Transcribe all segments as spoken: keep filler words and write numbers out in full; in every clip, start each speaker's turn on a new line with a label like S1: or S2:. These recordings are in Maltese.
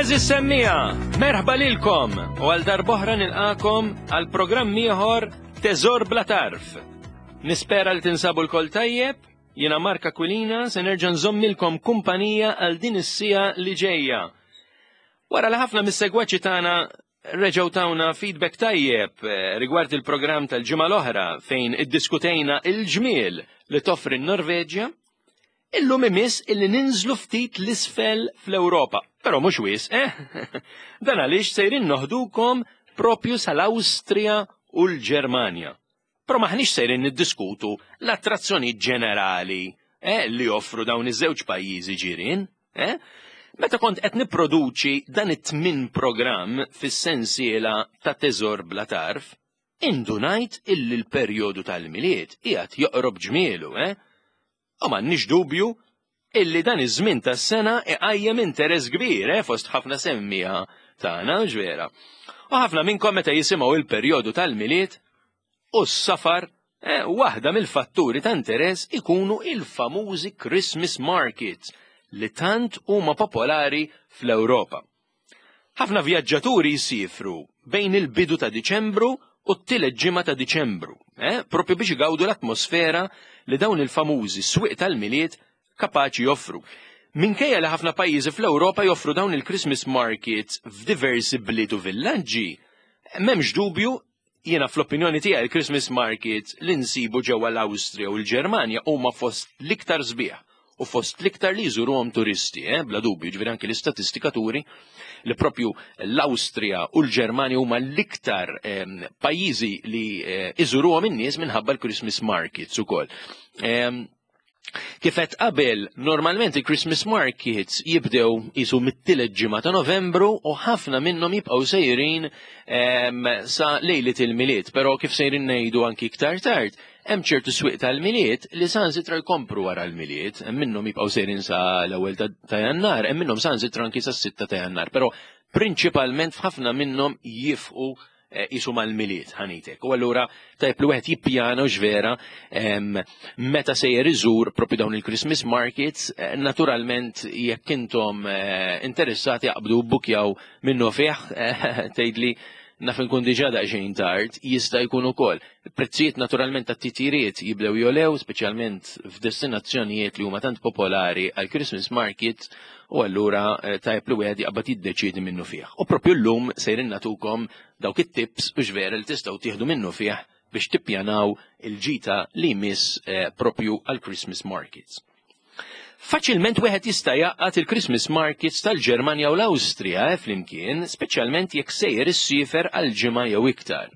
S1: Għeżież semmiegħa, merħba lilkom u għal darb'oħra nilqagħkom għal programm ieħor Teżor Bla Tarf. Nispera li tinsabu lkoll tajjeb, jiena Mark Aquilina se nerġa' nżommilkom kumpanija għal din is-siegħa li ġejja. Wara li ħafna mis-segwaċi tagħna reġgħu tawna feedback tajjeb eh, rigward il-programm tal-ġimgħa l-oħra fejn iddiskutejna il-ġmiel li toffri n-Norveġja, illum imiss illi ninżlu ftit 'l isfel fl-Ewropa. Però mhux wisq, eh? Dan għaliex sejrin noħdukom propju sal-Awstrija u l-Ġermanja. Però maħniex sejrin niddiskutu l-attrazzjoni ġenerali eh, li joffru dawn iż-żewġ pajjiżi ġirien, eh? Meta kont qed nipproduċi dan it-tmin programm fis-sensiela ta' Teżor Bla Tarf, indunajt illi l-perjodu tal-Milied qiegħed joqrob ġmielu, eh? U m'għandniex dubju illi dan iż-żmien tas-sena iqajjem interess kbir, eh, fost ħafna semmiegħa tagħna ġvera. U ħafna minnkom meta jisimgħu il-perjodu tal-Milied u s-safar, eh, waħda mill-fatturi ta' interess ikunu il-famużi Christmas markets li tant huma popolari fl-Ewropa. Ħafna vjaġġaturi jsifru bejn il-bidu ta' Diċembru u t-tielet ġimgħa ta' Diċembru, eh, propju biex igawdu l-atmosfera li dawn il-famużi swieq tal-Milied kapaċi joffru. Minkejja li ħafna pajjiżi fl-Ewropa joffru dawn il-Christmas markets f'diversi bliet u villaġġi, m'hemmx dubju, jiena fl-opinjoni tiegħi, il-Christmas markets li nsibu ġewwa l-Awstrija u l-Ġermanja huma fost l-iktar sbieħ u fost l-iktar li jżuruhom turisti, eh, bla dubju, ġifieri anke l-istatistika turi li propju l-Awstrija u l-Ġermanja huma l-iktar eh, pajjiżi li eh, iżuruhom in-nies minħabba l-Christmas markets ukoll. Eh, Kif għedt qabel, normalment il-Christmas markets jibdew jisu mit-tielet ġimgħa ta' Novembru u ħafna minnhom jibqgħu sejrin em, sa lejlit il-Milied, però kif sejrin ngħidu anki iktar tard, hemm ċertu swieq tal-Milied li saħansitra jkomplu wara l-Milied, hemm minnhom jibqgħu sejrin sa l-ewwel ta' ta' Jannar, hemm minnhom saħansitra anki sa sitta ta' Jannar, però prinċipalment f'ħafna minnhom jieqfu eh, jisu mal-Milied ħanitek. U allura tajb li wieħed jippjana u ġvera em, meta sejjer iżur propju dawn il-Christmas markets, eh, naturalment jekk intom eh, interessati aqbdu bbukjaw minnu fih, eh, tgħidli naf nkun diġà daqsxejn tard, jista' jkun ukoll. Prezzijiet naturalment tat-titjiriet jibdew jogħlew, speċjalment f'destinazzjonijiet li huma tant popolari għal Christmas markets, u allura eh, tajb li wieħed jaqbad jiddeċiedi minnu fih. U propju llum sejrin nagħtukom dawk it-tips u ġvera li tistgħu tieħdu minnu fih biex tippjanaw il-ġita li jmiss eh, propju għal Christmas markets. Faċilment wieħed jista' jgħaqqad il-Christmas markets tal-Ġermanja u l-Awstrija eh, flimkien, speċjalment jekk sejjer issiefer għal ġimgħa jew iktar.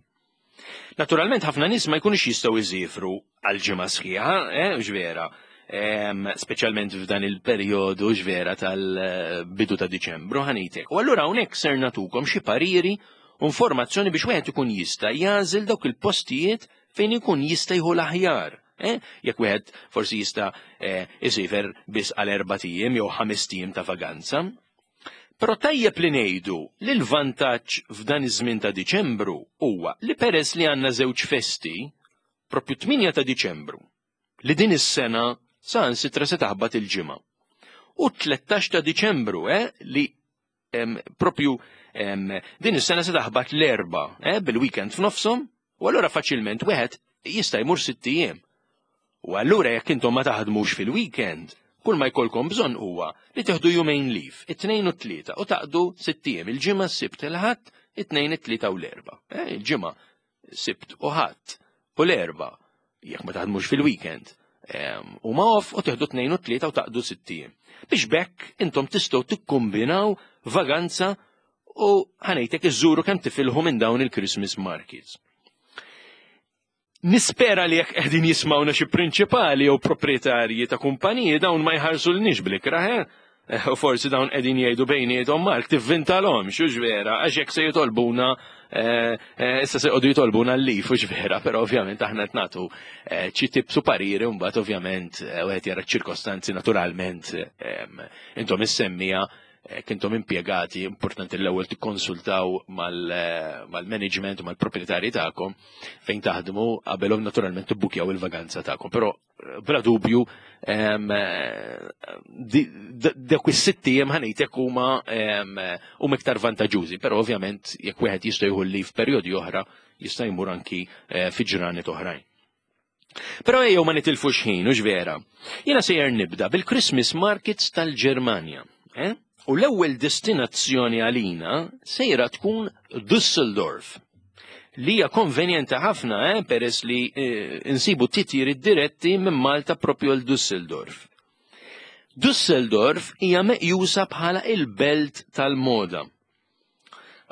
S1: Naturalment ħafna nies ma jkunux jistgħu jsiefru għal ġimgħa sħiħa, eh, ġvera, em, speċjalment f'dan il-perjodu ġvera tal-bidu ta' Diċembru ħanitek. U allura hawnhekk ser nagħtukom xi pariri u informazzjoni biex wieħed ikun jista' jagħżel dawk il-postijiet fejn ikun jista' jieħu l-aħjar. Eh? Jekk wieħed forsi jista' eh, isiefer biss għal erbat ijiem jew ħamest ijiem ta' vaganza. Però tajjeb li ngħidu li l-vantaġġ f'dan iż-żmien ta' Diċembru huwa li peress li għandna żewġ festi, propju tmienja ta' Diċembru, li din is-sena saħansitra se taħbat il-ġimgħa. U tlettax ta' Diċembru, eh, li em, propju em, din is-sena se taħbat l-Erbgħa, eh, bil-weekend f'nofshom, u allura faċilment wieħed jista' jmur sitt ijiem. U allura jekk intom ma taħdmux fil-weekend, kull ma jkollkom bżonn huwa li tieħdu jumejn leave, it-Tnejn u t-Tlieta, u taqdu sitt ijiem, il-Ġimgħa, s-Sibt, il-Ħadd, it-Tnejn, it-Tlieta u l-Erbgħa. Eh, il-Ġimgħa, Sibt u Ħadd u l-Erbgħa, jekk ma taħdmux fil-weekend, em, u ma off u tieħdu tnejn u tlieta u taqdu sitt ijiem. Biex b'hekk intom tistgħu tikkombinaw vaganza u ħanejtek iżżuru kemm tifilħu minn dawn il-Christmas markets. Nispera li jekk qegħdin jismawna xi prinċipali jew proprjetarji ta' kumpaniji, dawn ma jħarsulniex bl-ikrah, eh? Eh, U forsi dawn qegħdin jgħidu bejniethom, "Mark tivvintalhom xu vera, għax jekk se jitolbuna eh, eh, issa se jqogħdu jitolbuna l-leave", u vera, però ovvjament aħna qed nagħtu eh, xi tips u pariri u mbagħad ovvjament eh, wieħed jara ċ-ċirkostanzi naturalment em, intom is-semmiegħa Jekk intom impjegati, importanti l-ewwel tikkonsultaw mal-management u mal-proprjetarji tagħkom fejn taħdmu qabelhom naturalment tibbukjaw il-vaganza tagħkom. Però bla dubju dawk is-sitt ijiem, ħa ngħidlek, huma huma iktar vantaġġużi, però ovvjament jekk wieħed jista' jieħu leave f'perjodi oħra, jista' jmur anki eh, fi ġranet oħrajn. Però ejjew ma nitilfux ħin, hux vera? Jiena sejjer nibda bil-Christmas markets tal-Ġermanja. Eh? U l-ewwel destinazzjoni għalina sejra tkun Düsseldorf, li hija konvenjenti ħafna eh, peress li eh, insibu titjiri diretti minn Malta propju l Düsseldorf. Düsseldorf hija meqjusa bħala il-belt tal-moda.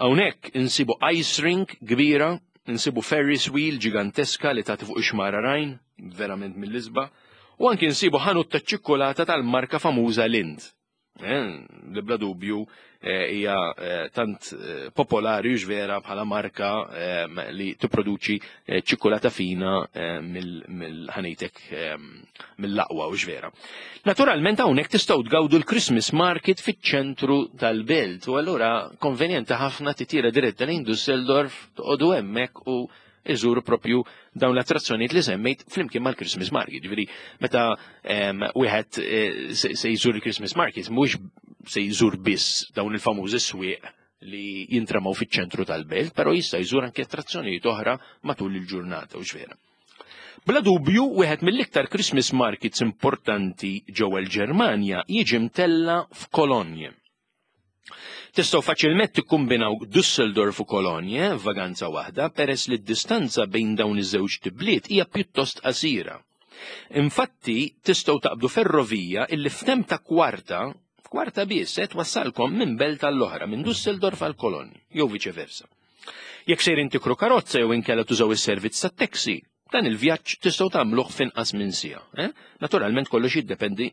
S1: Hawnhekk insibu ice rink kbira, insibu Ferris wheel ġiganteska li tagħti fuq ix-xmara Rajn, verament mill-isbaħ, u anki insibu ħanut ta' ċikkulata tal-marka famuża Lindt. Eh, li bla dubju eh, hija eh, tant popolari vera bħala marka li tipproduċi ċikkulata fina mill-ħa ngħidlek mill-aqwa, hux vera? Naturalment hawnhekk tistgħu tgawdu l-Christmas market fiċ-ċentru tal-belt u allura konvenjenti ħafna titira diretta lejn Düsseldorf, toqgħodu hemmhekk u iżuru propju dawn l-attrazzjonijiet li semmejt flimkien mal-Christmas market. Ġifieri meta wieħed eh, se jżur il-Christmas market, mhux se jżur biss dawn il-famużi swieq li jintramaw fiċ-ċentru tal-belt, però jista' jżur anke attrazzjonijiet oħra matul il-ġurnata, hux vera? Bla dubju, wieħed mill-iktar Christmas markets importanti ġewwa l-Ġermanja jiġi mtella f'Kolonje. Tistgħu faċilment tikkombinaw Düsseldorf u Kolonje f'vaganza waħda peress li d-distanza bejn dawn iż-żewġ bliet hija pjuttost qasira. Infatti, tistgħu taqbdu ferrovija illi f'temp ta' kwarta, kwarta biss, se twassalkom minn belt għall-oħra, minn Düsseldorf għal Kolonje, jew viċeversa. Jekk sejrin tikru karozza jew inkella tużaw is-servizz tat-taxi, dan il-vjaġġ tistgħu tagħmluh f'inqas minn siegħa. Eh? Naturalment kollox jiddependi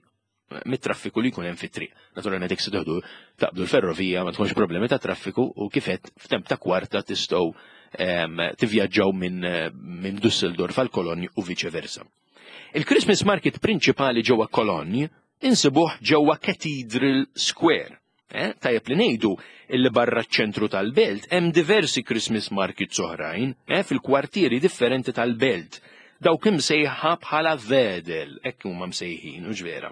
S1: mit-traffiku li jkun hemm fit-triq. Naturalment jekk se teħdu taqbdu l-ferrovija ma tkunx problemi ta' traffiku u kif għedt f'temp ta' kwarta tistgħu tivvjaġġaw minn min Düsseldorf għal Kolonj u viċe versa. Il-Christmas market prinċipali ġewwa Kolonj insibuh ġewwa Cathedral Square. Eh, tajjeb li ngħidu illi barra ċ-ċentru tal-belt hemm diversi Christmas markets oħrajn eh, fil-kwartieri differenti tal-belt. Dawk imsejħa bħala Veedel, hekk huma msejħin, hux vera?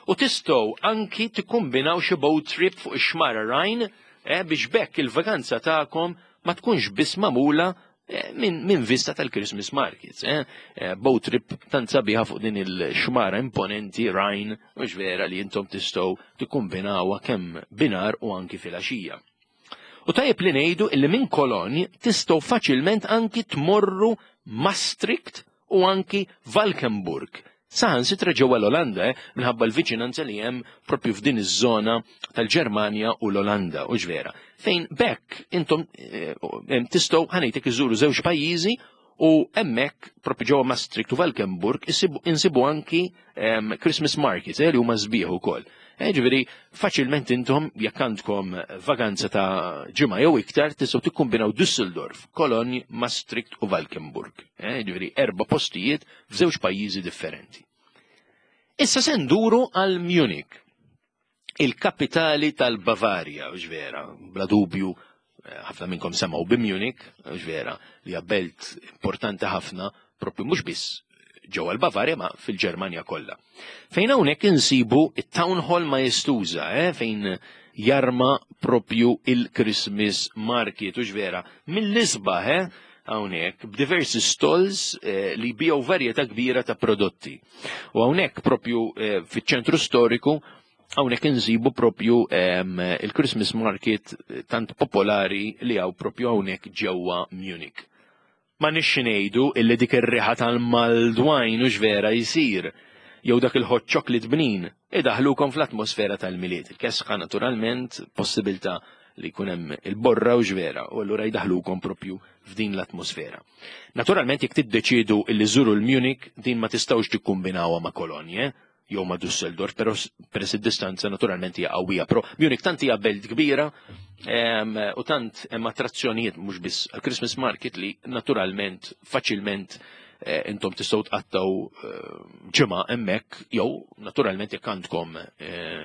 S1: U tistgħu anki tikkombinaw xi boat trip fuq ix-xmara Rhine eh, biex b'hekk il-vaganza tagħkom ma tkunx biss magħmula eh, minn min vista tal-Christmas markets. Eh? eh boat trip tant sabiħa fuq din il-xmara imponenti Rhine, hux vera, li intom tistgħu tikkombinawha kemm binhar u anki filgħaxija. U tajjeb li ngħidu illi minn Kolonj tistgħu faċilment anki tmorru Maastricht u anki Valkenburg. Saħansitra ġewwa l-Olanda, eh, minħabba l-viċinanza li hemm propju f'din iż-żona tal-Ġermanja u l-Olanda, hux vera? Fejn b'hekk intom eh, tistgħu, ħa ngħidlek, iżuru żewġ pajjiżi u hemmhekk propju ġewwa Maastricht u Valkenburg insibu anki Christmas markets eh, li huma sbieħ ukoll. Eh, ġifieri, faċilment intom jekk għandkom vaganza ta' ġimgħa jew iktar tistgħu tikkombinaw Düsseldorf, Cologne, Maastricht u Valkenburg. Eh, ġifieri, erba' postijiet f'żewġ pajjiżi differenti. Issa se nduru għal Munich, il-kapitali tal-Bavarja, vera, bla dubju, eh, ħafna minnkom semgħu bi Munich, vera, li hija belt importanti ħafna, propju mhux biss ġewwa l-Bavarja ma fil-Ġermanja kollha. Fejn hawnhekk insibu it-Town Hall maestuża, eh, fejn jarma propju il-Christmas market, hux vera, mill-isbaħ, eh, hawnhekk b'diversi stalls eh, li jbigħu varjetà kbira ta' prodotti. U hawnhekk propju eh, fiċ-ċentru storiku hawnhekk insibu propju eh, il-Christmas market tant popolari li hawn propju hawnhekk ġewwa Munich. Ma nix ngħidu illi dik ir-riħa tal-mulled wine, hux vera, jsir jew dak il-hot chocolate bnin idaħlukom fl-atmosfera tal-Milied. Il-kesħa naturalment, possibilità li jkun hemm il-borra, hux vera, u allura jdaħlukom propju f'din l-atmosfera. Naturalment jekk tiddeċidu illi żuru l-Munich, din ma tistgħux tikkumbinawha ma' Kolonje jew ma' Düsseldorf, però peress id-distanza naturalment hija qawwija. Però Munich tant hija belt kbira u tant hemm attrazzjonijiet mhux biss għal Christmas market li naturalment faċilment Intom tistgħu tqattaw ġimgħa hemmhekk jew naturalment jekk għandkom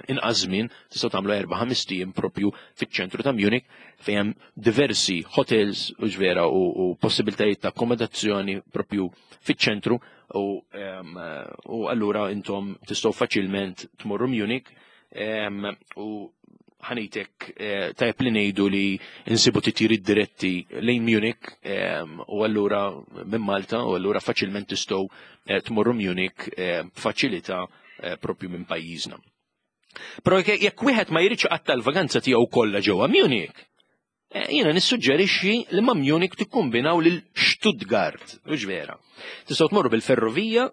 S1: inqas żmien tistgħu tagħmlu erba' ħames ijiem propju fiċ-ċentru ta' Munich fejn hemm diversi hotels u ġvera u possibiltajiet ta' akkomodazzjoni propju fiċ-ċentru u allura intom tistgħu faċilment tmorru Munich u ħanitek tajjeb li ngħidu li insibu titjiriet diretti lejn Munich u allura minn Malta u allura faċilment tistgħu tmorru Munich b'faċilità propju minn pajjiżna. Però jekk wieħed ma jridx iqatta' l-vaganza tiegħu kollha ġewwa Munich, jiena nissuġġerixxi li ma' Munich tikkombinaw lil Stuttgart, u ġvera. Tistgħu tmorru bil-ferrovija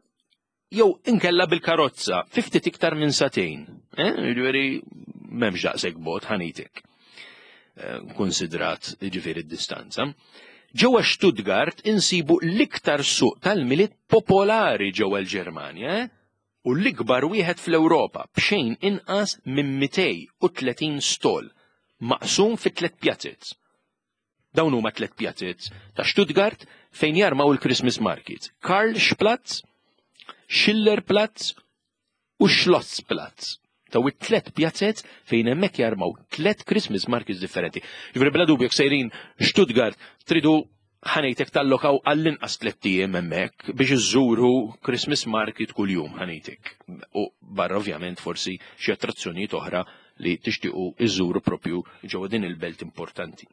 S1: jew inkella bil-karozza fi ftit iktar minn sagħtejn. Jiġifieri m'hemmx daqshekk bogħod ħanitek. Konsidrat jiġifieri d-distanza. Ġewwa Stuttgart insibu l-iktar suq tal-Milied popolari ġewwa l-Ġermanja, u l-ikbar wieħed fl-Ewropa b'xejn inqas minn mitej u tletin stol maqsum fi tliet pjazez. Dawn huma tliet pjazez ta' Stuttgart fejn jarmaw il-Christmas markets: Karlsplatz, Schillerplatz u Schlossplatz. Taw it-tlet pjazzet fejn hemmhekk jarmaw tlet Christmas markets differenti. Ġifieri bla dubju jekk sejrin Stuttgart tridu ħanejtek tallokaw għall-inqas tliet ijiem hemmhekk biex iżżuru Christmas market kuljum ħanejtek. U barra ovvjament forsi xi attrazzjonijiet oħra li tixtiequ iżżuru propju ġewwa din il-belt importanti.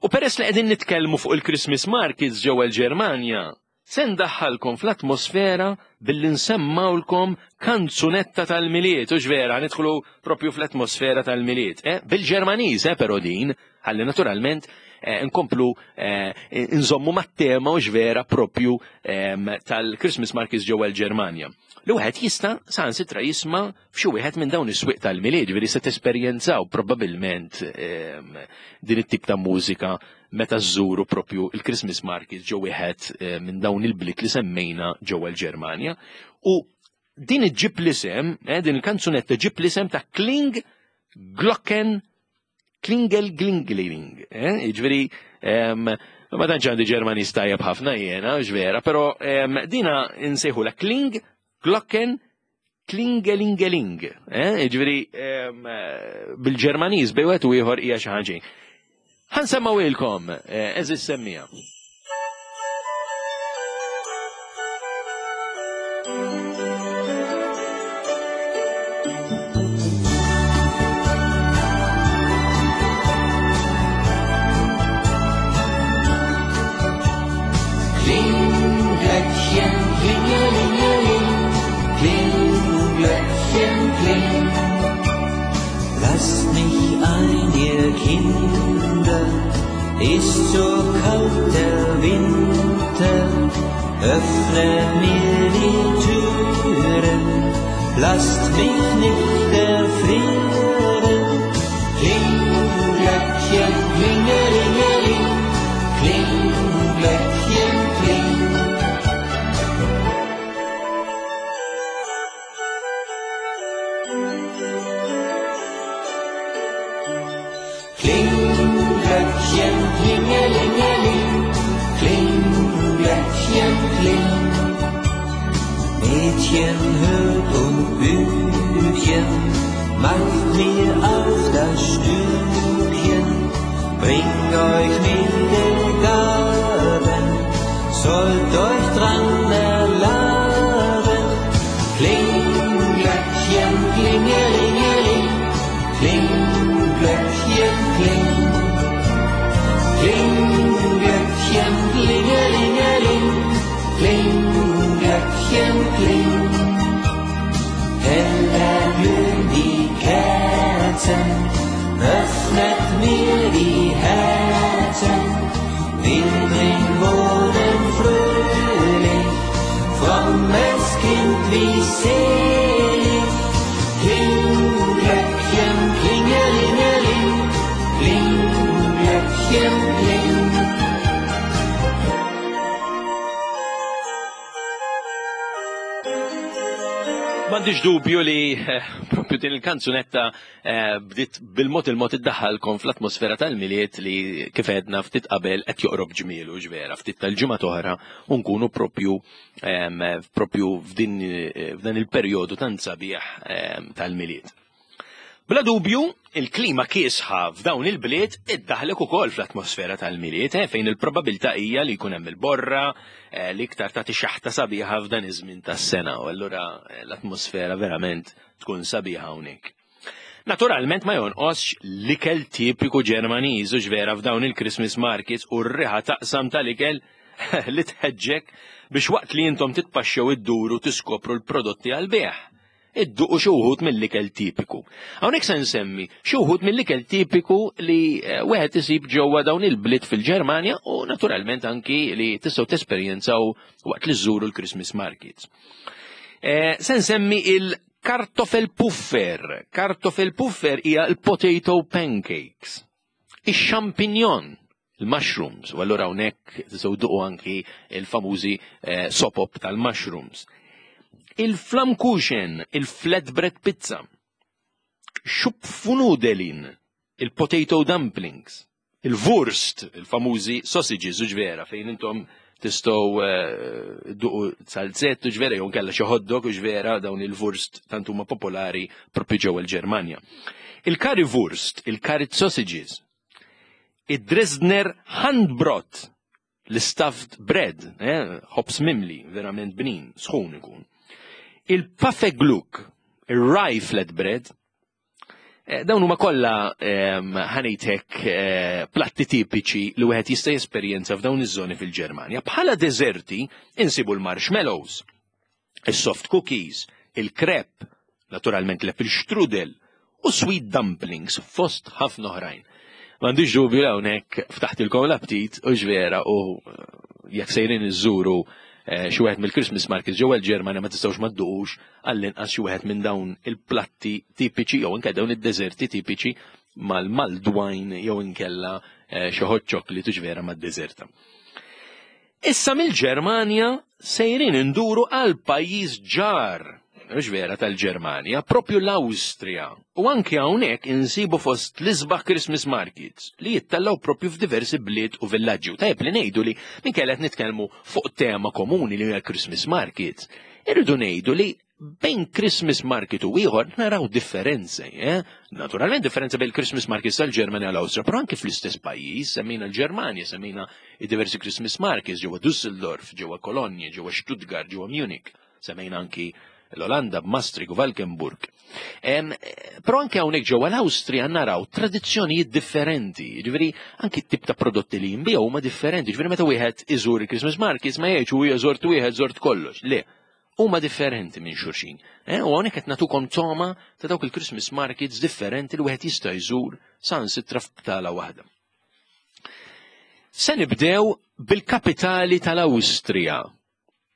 S1: U peress li qegħdin nitkellmu fuq il-Christmas markets ġewwa l-Ġermanja, se ndaħħalkom fl-atmosfera billi nsemmawlkom kanzunetta tal-Milied, u ġvera, nidħlu propju fl-atmosfera tal-Milied. Eh? Bil-Ġermaniż, eh, però din, ħalli naturalment, eh, nkomplu, eh, nżommu mat-tema u ġvera propju, ehm, tal-Christmas markets ġewwa l-Ġermanja. Li wieħed jista' saħansitra jisma' f'xi wieħed minn dawn is-swieq tal-Milied, ġifieri se tesperjenzaw probabbilment, ehm, din it-tip ta' mużika meta żżuru propju il-Christmas markets ġew wieħed, eh, minn dawn il-bliet li semmejna ġewwa l-Ġermanja. U din iġġib l-isem, eh, din il-kanzunetta ġib l-isem ta' Kling Glocken Klingel Glingling, eh, jiġifieri, ehm, ma tantx għandi Ġermaniż tajjeb ħafna jiena, ġvera, però, ehm, dina insejħula Kling Glocken Klingelingeling, eh, jiġifieri, ehm, bil-Ġermaniż bejn wieħed u ieħor hija xi ħaġa. Ħansemmawilkom, eh, eżis semmija.
S2: Ist so kalt der Winter, öffne mir die Türen, lasst mich nicht erfrieren. Kling, Glöckchen, klingelingeling, kling, Glöckchen, kling. Kling, Glöckchen, klingelingeling, kling, Glöckchen, kling. Mädchen, hört und Bübchen, macht mir auf das Stübchen, bring euch milde Gaben, sollt euch dran erlaben. Kling, Glöckchen, klingelingeling, kling, Glöckchen, kling. Kling, Glöckchen, klingelingeling, kling, Glöckchen, kling. Heller glühen die Kerzen, öffnet mir die Herzen. Wir drin wohnen fröhlich, frommes Kind wie selig. Kling, Glöckchen, klingelingeling, kling, Glöckchen, kling.
S1: M'għandix M'għandix dubju li eh, propju din il-kanzunetta eh, bdiet bil-mod il-mod iddaħħalkom fl-atmosfera tal-Milied li kif għedna ftit qabel qed joqrob ġmielu ġvera, ftit tal-ġimgħa oħra u nkunu propju em, propju f'din eh, f'dan il-perjodu tant sabiħ em, tal-Milied. Bla dubju, il-klima kiesħa f'dawn il-bliet iddaħlek ukoll fl-atmosfera tal-Milied, eh, fejn il-probabilità hija li jkun hemm il-borra, eh, li iktar tagħti xaħta sabiħa f'dan iż-żmien tas-sena, u allura eh, l-atmosfera verament tkun sabiħa hawnhekk. Naturalment ma jonqosx l-ikel tipiku Ġermaniż u ġvera f'dawn il-Christmas markets u r-riħa taqsam tal-ikel li tħeġġek biex waqt li intom titpaxxew idduru tiskopru l-prodotti għal-bejgħ idduqu xi wħud mill-ikel tipiku. Hawnhekk se nsemmi xi wħud mill-ikel tipiku li eh, wieħed isib ġewwa dawn il-bliet fil-Ġermanja u naturalment anki li tistgħu tesperjenzaw waqt li żżuru l-Christmas markets. Eh, se nsemmi il-Kartoffelpuffer. Kartoffelpuffer hija l-potato pancakes. Ix-champignon, il-mushrooms, u allura hawnhekk tistgħu dduqu anki il-famużi eh, sopop tal-mushrooms. Il-Flammkuchen, il-flatbread pizza, Schupfnudeln, il-potato dumplings, il-Wurst, il-famużi sausages u ġvera, fejn intom tistgħu eh, dduqu zalzett u ġvera, jew kella xi hot dog u ġvera dawn il-Wurst tant huma popolari propju ġewwa l-Ġermanja. Il-Currywurst, il-curry sausages, id-Dresdner Handbrot, l-stuffed bread, eh, ħobż mimli, verament bnin, sħun ikun. Il-Pfeffergluck, il-rye flatbread, eh, dawn huma kollha ehm, ħa ngħidlek eh, platti tipiċi li wieħed jista' jesperjenza f'dawn iż-żoni fil-Ġermanja. Bħala deżerti insibu l-marshmallows, is-soft cookies, il-crepe, naturalment l-apple strudel u sweet dumplings fost ħafna oħrajn. M'għandix dubju li hawnhekk ftaħtilkom l-aptit u ġvera u eh, jekk sejrin iżżuru eh, xi wieħed mill-Christmas markets ġewwa l-Ġermanja ma tistgħux ma dduqux għall-inqas xi wieħed minn dawn il-platti tipiċi jew anke dawn id-deżerti tipiċi mal-mulled wine jew inkella eh, xi hot chocolate u ġvera mad-deżerta. Issa mill-Ġermanja sejrin induru għal pajjiż ġar, mhux vera tal-Ġermanja, propju l-Awstrija. U anke hawnhekk insibu fost l-isbaħ Christmas markets li jittallaw propju f'diversi bliet u villaġġi. U tajjeb li ngħidu li minkejja qed nitkellmu fuq tema komuni li hija Christmas markets, irridu ngħidu li bejn Christmas market u ieħor naraw differenzi, eh? Naturalment differenza bejn Christmas markets tal-Ġermanja u l-Awstrija, però anke fl-istess pajjiż, semmejna l-Ġermanja, semmejna i diversi Christmas markets ġewwa Düsseldorf, ġewwa Kolonja, ġewwa Stuttgart, ġewwa Munich, semmejna anki l-Olanda b'Maastricht u Valkenburg. Em, Però anke hawnhekk ġewwa l-Awstrija naraw tradizzjonijiet differenti, ġifieri anki t-tip ta' prodotti li jinbiegħu huma differenti, ġifieri meta wieħed iżur il-Christmas markets ma jgħidx u żort wieħed żort kollox. Le, huma differenti minn xulxin. Eh, u hawnhekk qed nagħtukom toma ta' dawk il-Christmas markets differenti li wieħed jista' jżur saħansitra f'btala waħda. Se nibdew bil-kapitali tal-Awstrija,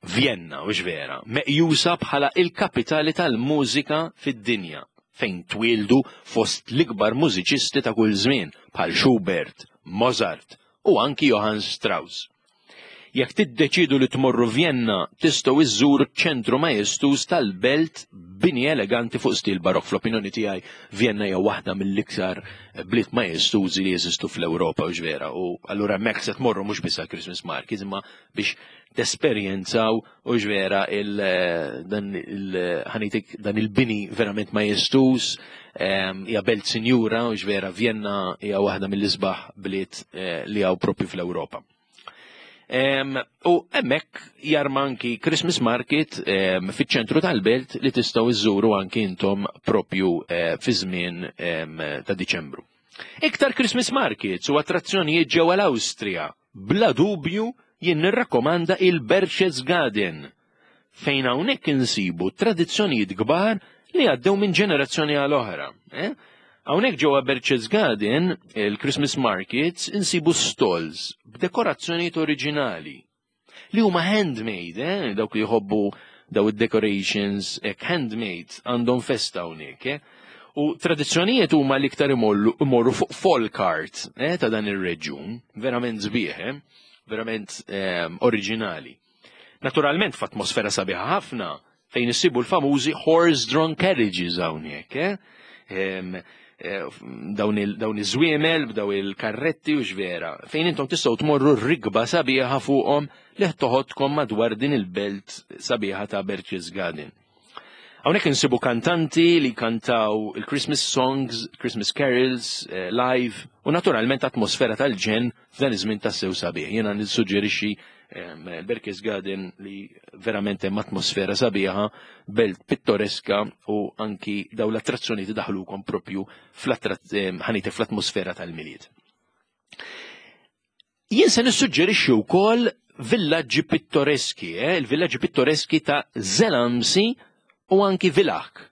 S1: Vienna, u vera, meqjusa bħala il-kapitali tal-mużika fid-dinja, fejn twildu fost l-ikbar mużiċisti ta' kull żmien bħal Schubert, Mozart u anki Johann Strauss. Jekk tiddeċidu li tmorru Vienna, tistgħu iżżuru ċentru majestuż tal-belt bini eleganti fuq stil barok. Fl-opinjoni tiegħi Vienna hija waħda mill-iktar bliet majestużi li jeżistu fl-Ewropa u ġvera. U allura hemmhekk se tmorru mhux biss għal Christmas markets imma biex tesperjenzaw u ġvera il dan il ħa ngħidlek dan il-bini verament majestuż em, hija belt sinjura u ġvera Vienna hija waħda mill-isbaħ bliet eh, li hawn propju fl-Ewropa. Em, u hemmhekk jarma anki Christmas Market em, fiċ-ċentru tal-belt li tistgħu iżżuru anki intom propju eh, fi żmien em, ta' Diċembru. Iktar Christmas Markets u attrazzjonijiet ġewwa l-Awstrija. Bla dubju jien nirrakkomanda il-Berchtesgaden fejn hawnhekk insibu tradizzjonijiet kbar li għaddew minn ġenerazzjoni għal oħra. Eh? Hawnhekk ġewwa Berchtesgaden, il-Christmas Markets, insibu stalls b'dekorazzjonijiet oriġinali li huma handmade, eh? Dawk li jħobbu daw id-decorations ek handmade għandhom festa hawnhekk. Eh? U tradizzjonijiet huma l-iktar imorru imorru fuq folk art eh, ta' dan ir-reġjun, verament sbieħ, eh? Verament eh, oriġinali. Naturalment f'atmosfera sabiħa ħafna Fejn issibu l-famużi horse-drawn carriages hawnhekk, eh? Em, eh, dawn il- dawn iż-żwiemel b'daw il-karretti u x'vera. Fejn intom tistgħu tmorru rikba sabiħa fuqhom li toħodkom madwar din il-belt sabiħa ta' Berchtesgaden. Hawnhekk insibu kantanti li kantaw il-Christmas songs, Christmas carols, eh, live, u naturalment atmosfera tal-ġenn f'dan iż-żmien tassew sabiħ. Jiena nissuġġerixxi em, Berchtesgaden li verament hemm atmosfera sabiħa, belt pittoreska u anki daw l-attrazzjoni daħlukom propju ħanite fl-atmosfera tal-Milied. Jien se nissuġġerixxi wkoll villaġġi pittoreski, eh? Il-villaġġi pittoreski ta' Zell am See u anki Villach.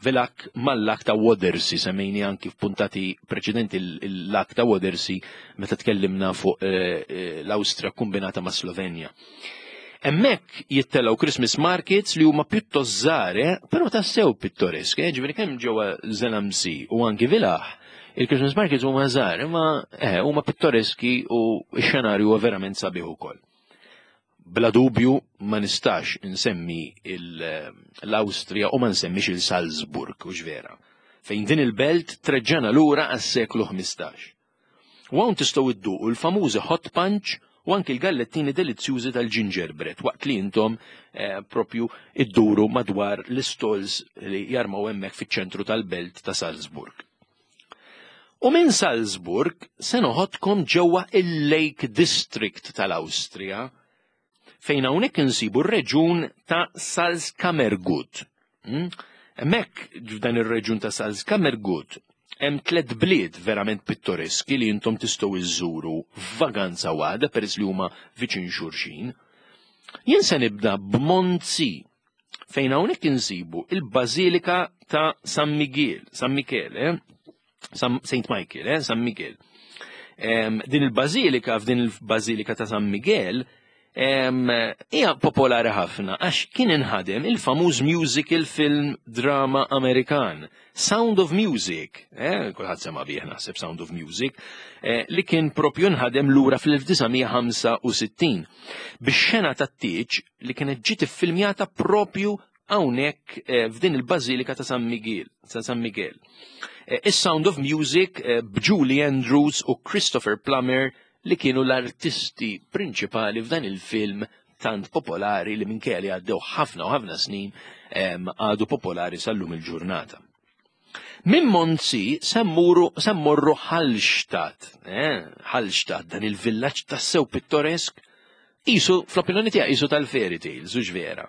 S1: Villach mal-lag ta' Wörthersee, semmejni anki f'puntati preċedenti il-lag ta' Wörthersee meta tkellimna fuq eh, eh, l-Awstrija kombinata ma' Slovenja. Hemmhekk jittellgħu Christmas markets li huma pjuttost żgħar, eh, però tassew pittoreski, eh, ġifieri kemm ġewwa Zell am See u anki Villach, il-Christmas markets huma żgħar, imma eh, huma pittoreski u x-xenarju huwa verament sabiħ ukoll. Bla dubju ma nistax insemmi l-Awstrija u ma nsemmix il-Salzburg, u vera, fejn din il-belt treġġana lura għas-seklu ħmistax. U hawn tistgħu idduqu l-famużi hot punch u anki l-gallettini delizzjużi tal-gingerbread waqt li intom eh, propju idduru madwar l-stalls li jarmaw hemmhekk fiċ-ċentru tal-belt ta' Salzburg. U minn Salzburg se noħodkom ġewwa il-Lake District tal-Awstrija, fejn hawnhekk insibu r-reġun ta' Salzkammergut. Hmm? Hemmhekk f'dan ir-reġun ta' Salzkammergut hemm tliet bliet verament pittoreski li intom tistgħu iżżuru f'vaganza waħda peress li huma viċin xulxin. Jien se nibda b'Mondsee, fejn hawnhekk insibu il-Bażilika ta' San Miguel, San Michele, San Saint Michael, eh, San Miguel. Em, din il-Bażilika, f'din il-Bażilika ta' San Miguel, em, hija popolari ħafna għax kien inħadem il-famuż musical film drama Amerikan, Sound of Music, eh, kulħadd sema bih naħseb Sound of Music, eh, li kien propju nħadem lura fl-elf disa' mija ħamsa u sittin bix-xena tat-tieġ li kienet ġiet iffilmjata propju hawnhekk eh, f'din il-Bażilika ta' San Miguel, ta' San Miguel. Eh, Is-Sound of Music eh, b'Julie Andrews u Christopher Plummer li kienu l-artisti prinċipali f'dan il-film tant popolari li minkejja li għaddew ħafna u ħafna snin em, għadu popolari sal-lum il-ġurnata. Minn Mondsee se mmorru se mmorru Hallstatt, eh, Hallstatt, dan il-villaġġ tassew pittoresk, isu, fl-opinjoni tiegħi, isu tal-fairy tales, u vera.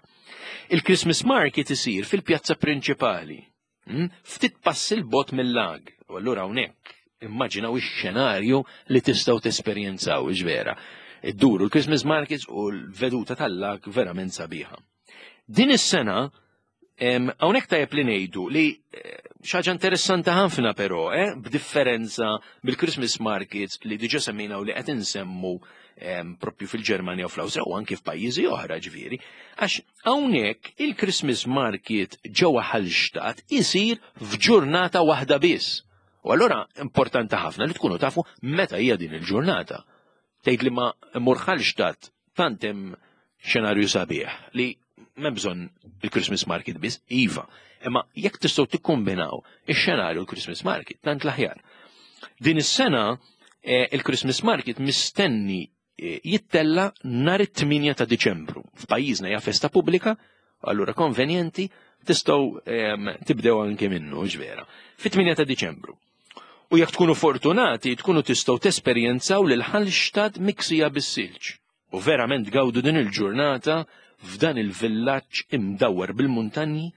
S1: Il-Christmas market isir fil-pjazza prinċipali, hm, ftit passi 'l bogħod mill-lag, u allura hawnhekk immaġinaw ix-xenarju li tistgħu tesperjenzaw, vera. Idduru l-Christmas markets u l-veduta tal-lag verament sabiħa. Din is-sena em, hawnhekk tajjeb li ngħidu li eh, xi ħaġa interessanti ħafna però, eh, b'differenza bil-Christmas markets li diġà semmejna u li qed insemmu em, propju fil-Ġermanja u fl-Awstrija u anki f'pajjiżi oħra ġifieri, għax hawnhekk il-Christmas market ġewwa Hallstatt isir f'ġurnata waħda biss. U allura importanti ħafna li tkunu tafu meta hija din il-ġurnata. Tgħid li ma mmur Hallstatt, tant hemm xenarju sabiħ li m'hemm bżonn il-Christmas market biss, iva. Imma jekk tistgħu tikkombinaw ix-xenarju l-Christmas market, tant l-aħjar. Din is-sena eh, il-Christmas market mistenni eh, jittella nhar it-tmienja ta' Diċembru. F'pajjiżna hija festa pubblika, allura konvenjenti tistgħu em, tibdew anke minnu, ġvera. Fit-tmienja ta' Diċembru. U jekk tkunu fortunati, tkunu tistgħu tesperjenzaw lil Hallstatt miksija bis-silġ. U verament gawdu din il-ġurnata f'dan il-villaġġ imdawwar bil-muntanji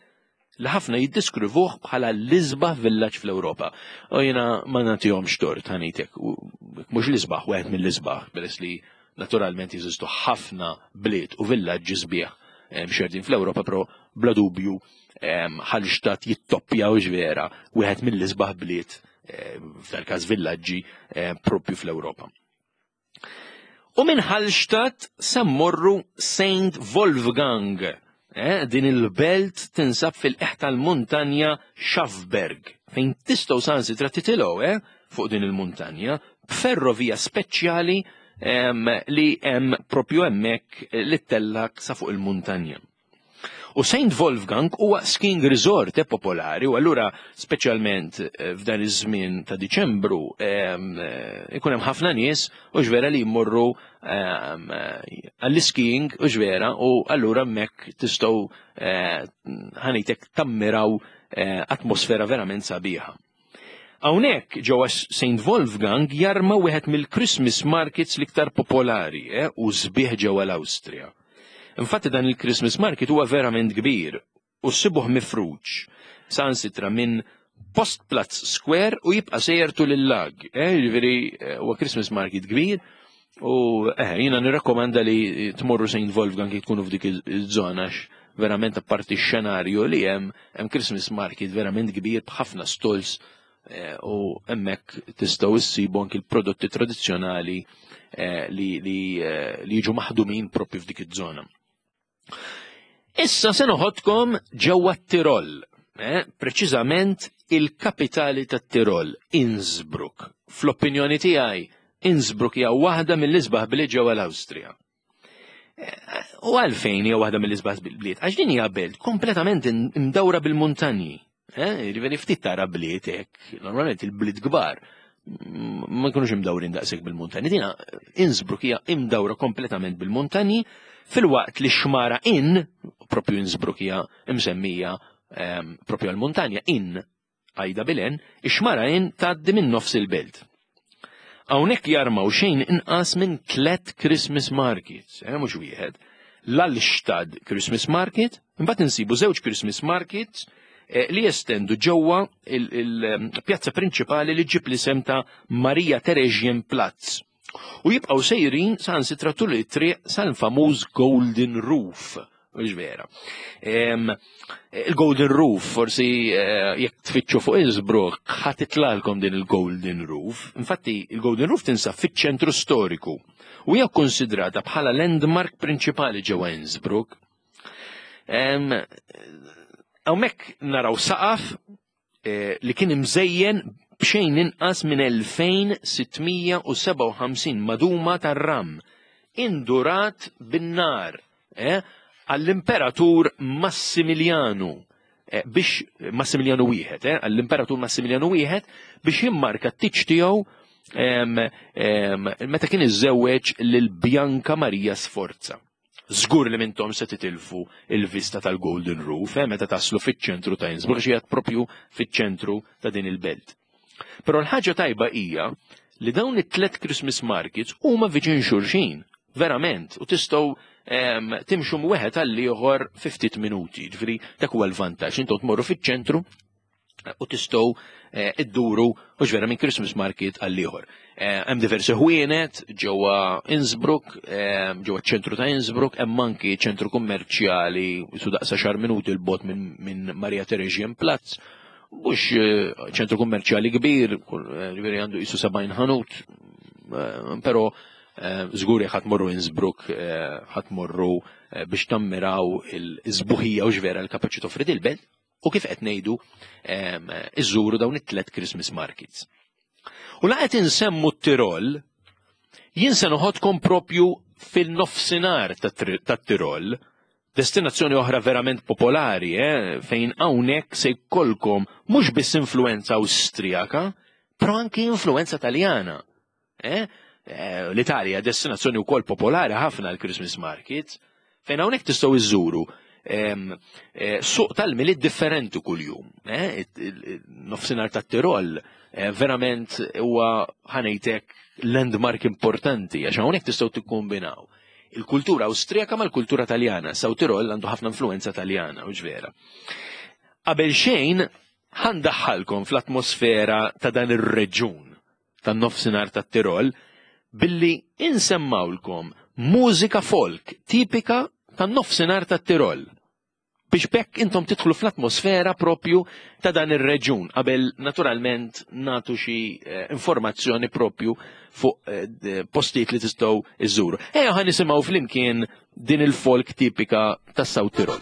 S1: li ħafna jiddeskrivuh bħala l-isbaħ villaġġ fl-Ewropa. U jiena ma nagħtihomx tort ħanitek, mhux l-isbaħ, wieħed mill-isbaħ, peress li naturalment jeżistu ħafna bliet u villaġġi sbieħ eh, mxerdin fl-Ewropa, però bla dubju em, Hallstatt jittoppja u ġvera wieħed mill-isbaħ bliet, eh, f'dal-każ villaġġi eh, propju fl-Ewropa. U minn Hallstatt se mmorru Saint Wolfgang. Eh, din il-belt tinsab fil-qiegħ tal-muntanja Schafberg, fejn tistgħu saħansitra titilgħu eh, fuq din il-muntanja b'ferrovija speċjali em, li hemm propju hemmhekk li ttellak sa fuq il-muntanja. U Saint Wolfgang huwa skiing resort eh, popolari u allura speċjalment eh, f'dan iż-żmien ta' Diċembru ehm, eh, ikun hemm ħafna nies u ġvera li jmorru ehm, għall-skiing u ġvera u allura hemmhekk tistgħu ħanejtek tammiraw atmosfera verament sabiħa. Hawnhekk ġewwa Saint Wolfgang jarma wieħed mill-Christmas markets l-iktar popolari eh, u sbieħ ġewwa l-Awstrija. Infatti dan il-Christmas market huwa verament kbir u ssibuh mifruġ sansitra minn Postplatz Square u jibqa' sejjer tul il-lag. Eh, jiġifieri eh, huwa Christmas market kbir u eh, jiena nirrakkomanda li tmorru Saint Wolfgang jekk tkunu f'dik iż-żona verament apparti x-xenarju li hemm hemm Christmas market verament kbir b'ħafna stalls eh, u hemmhekk tistgħu issibu anki l-prodotti tradizzjonali eh, li, li, eh, li jiġu maħdumin propju f'dik iż-żona. Issa se noħodkom ġewwa t-Tirol, eh, preċiżament il-kapitali tat-Tirol, Innsbruck. Fl-opinjoni tiegħi, Innsbruck hija waħda mill-isbaħ bliet ġewwa l-Awstrija. Eh, u għalfejn hija waħda mill-isbaħ bliet? Għax din hija belt kompletament imdawra bil-muntanji. Eh, jiġifieri ftit tara bliet hekk, normalment il-bliet kbar ma jkunux imdawrin daqshekk bil-muntanji. Dina Innsbruck hija imdawra kompletament bil-muntanji filwaqt li xmara Inn, propju Innsbruck hija imsemmija ehm, propju għal-muntanja, Inn għajda bilen, ix-xmara Inn tgħaddi minn nofs il-belt. Hawnhekk jarmaw xejn inqas minn tlet Christmas markets, eh, mhux wieħed. L-Altstadt Christmas Market, imbagħad insibu żewġ Christmas markets eh, li jestendu ġewwa il-pjazza prinċipali li ġib l-isem ta' Maria Theresien Platz. U jibqgħu sejrin sansitra tul it-triq sal-famuż Golden Roof. Mhux vera. Il-Golden Roof, forsi eh, jekk tfittxu fuq Innsbruck, ħa titlalkom din il-Golden Roof. Infatti, il-Golden Roof tinsab fiċ-ċentru storiku u hija konsidrata bħala landmark prinċipali ġewwa Innsbruck. Hawnhekk naraw saqaf eh, li kien imżejjen b'xejn inqas minn elfejn sitt mija u sebgħa u ħamsin maduma tar-ram indurat bin-nar eh, għall-Imperatur Massimilianu eh, biex Massimilianu wieħed, eh, għall-Imperatur Massimilianu wieħed biex jimmarka t-tiċ tiegħu meta kien iżżewweġ lil Bianca Maria Sforza. Żgur li mintom se titilfu il-vista tal-Golden Roof, eh, meta taslu fiċ-ċentru ta' Innsbruck, xi propju fiċ-ċentru ta' din il-belt. Però l-ħaġa tajba hija li dawn it-tlet Christmas markets huma viċin xulxin, verament, u tistgħu timxu wieħed għal ieħor ftit minuti. Ġifieri dak huwa l-vantaġġ, intom tmorru fiċ-ċentru u tistgħu eh, idduru u ġvera minn Christmas market għal ieħor. Eh, hemm diversi ħwienet ġewwa Innsbruck, eh, ġewwa ċentru ta' Innsbruck, hemm anki ċentru kummerċjali su daqsa xar minuti 'l bogħod minn Maria Theresien Platz. Mhux ċentru kummerċjali kbir, ġifieri għandu jisu sebgħin ħanut, però żgur ħa tmorru Innsbruck, ħa tmorru biex tammiraw il-sbuħija u ġvera l-kapaċi toffri il-belt u kif qed ngħidu iżżuru dawn it-tlet Christmas markets. U la qed insemmu t-Tirol, jien se noħodkom propju fil-nofsinhar tat-Tirol, destinazzjoni oħra verament popolari, eh, fejn hawnhekk se jkollkom mhux biss influenza Awstrijaka, però anki influenza Taljana. Eh? Eh, L-Italja destinazzjoni wkoll popolari ħafna l-Christmas markets, fejn hawnhekk tistgħu iżżuru eh, suq tal-Milied differenti kuljum. Eh? Nofsinhar tat-Tirol eh, verament huwa ħanejtek landmark importanti għax hawnhekk tistgħu tikkombinaw il-kultura Awstrijaka mal-kultura Taljana. South Tirol għandu ħafna influenza Taljana, u vera. Qabel xejn ħa ndaħħalkom fl-atmosfera ta' dan ir-reġun tan-nofsinhar tat-Tirol billi insemmawlkom mużika folk tipika tan-nofsinhar tat-Tirol biex bekk intom tidħlu fl-atmosfera propju ta' dan ir-reġun qabel naturalment natu xi eh, informazzjoni propju fuq eh, postijiet li tistgħu iżżuru. Ejja ħa nisimgħu flimkien din il-folk tipika tas South Tirol.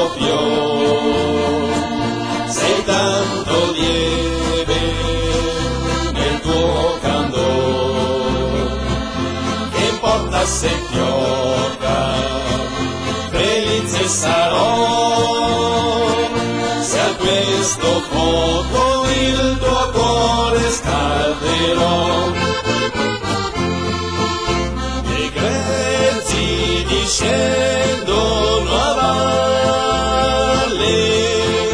S2: questo fior, sei tanto lieve nel tuo candor, che importa se fiocca, felice sarò, se a questo fuoco il tuo cuore scalderò. Le grezzi discendono a valle,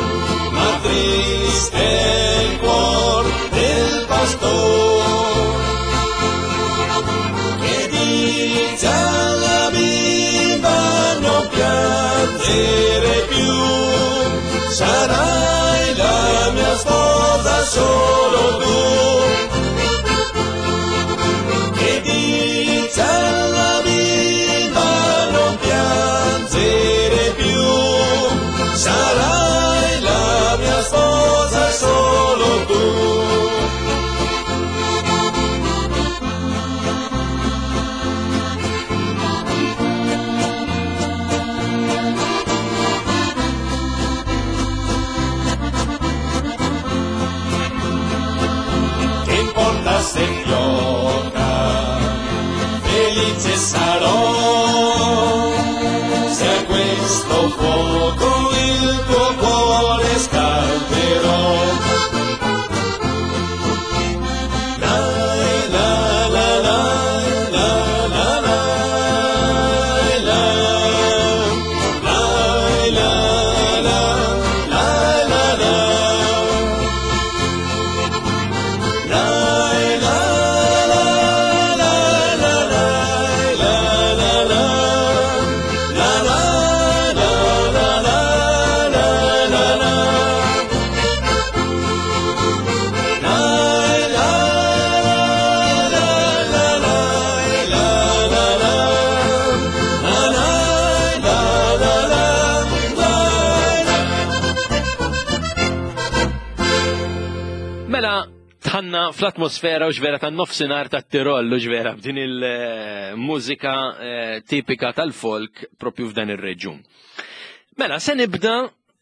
S2: ma triste è il cuor del pastor, che dice alla bimba non piangere più, sarai la mia sposa solo tu. Che dice alla bimba non piangere più, sarai la mia sposa solo tu. Che importa se fiocca, felice sarò, se a questo fuoco il tuo cuore scalderò. La la la la la la la la la la la la la la. La la la la la la la la la la la la la la la la. La la la la la la la la la la la la la.
S1: Mela, tħanna fl-atmosfera u ġvera tan-nofsinhar tat-Tirol u ġvera b'din il-mużika eh, tipika tal-folk propju f'dan ir-reġjun. Mela, se nibda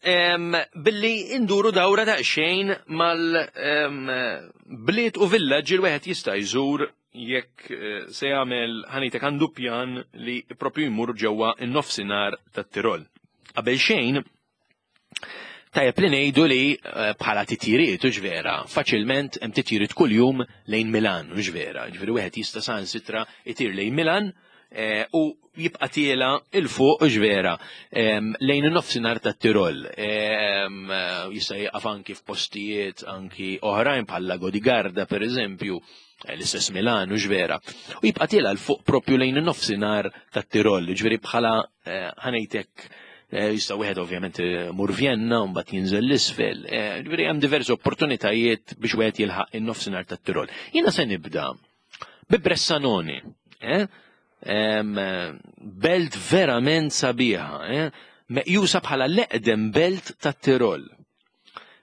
S1: em, billi induru dawra daqsxejn mal-bliet u villaġġi li wieħed jista' jżur jekk eh, se jagħmel ħanitek għandu pjan li propju jmur ġewwa n-nofsinhar tat-Tirol. Qabel xejn, tajjeb li ngħidu li eh, bħala titjiriet u ġvera, faċilment hemm titjiriet kuljum lejn Milan u ġvera. Ġifieri wieħed jista' saħansitra itir lejn Milan eh, u jibqa' tiela il fuq u ġvera em, lejn in-nofsinhar tat-Tirol. Em, eh, Jista' jieqaf anki f'postijiet anki oħrajn bħal Lago di Garda pereżempju, eh, l-istess Milan u ġvera. U jibqa' tiela l fuq propju lejn in-nofsinhar tat-Tirol, ġifieri bħala eh, ħanejtek eh, jista' wieħed ovvjament eh, mur Vienna u mbagħad jinżel l-isfel. Eh, Ġifieri hemm diversi opportunitajiet biex wieħed jilħaq in-nofsinhar tat-Tirol. Jiena se nibda bi Bressanone, eh? Em, eh, belt verament sabiħa, eh? Meqjusa bħala l-eqdem belt tat-Tirol.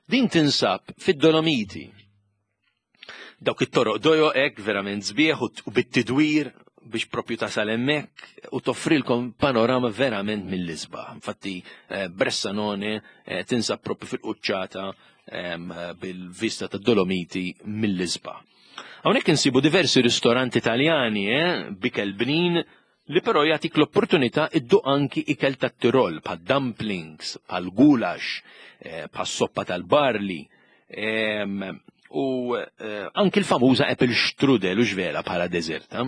S1: Din tinsab fid-Dolomiti. Dawk it-toroq dojo hekk verament sbieħ u u bit-tidwir biex propju tasal hemmhekk u toffrilkom panorama verament mill-isbaħ. Infatti eh, Bressanone eh, tinsab propju fil-quċċata em, bil-vista tad-Dolomiti mill-isbaħ. Hawnhekk insibu diversi ristoranti Italjani, eh, b'ikel bnin, li però jagħtik l-opportunità idduq anki ikel tat-Tirol, bħal dumplings, bħal gulash, eh, bħal soppa tal-barli, em, u eh, anki l-famuża apple strudel u ġvera bħala deżerta.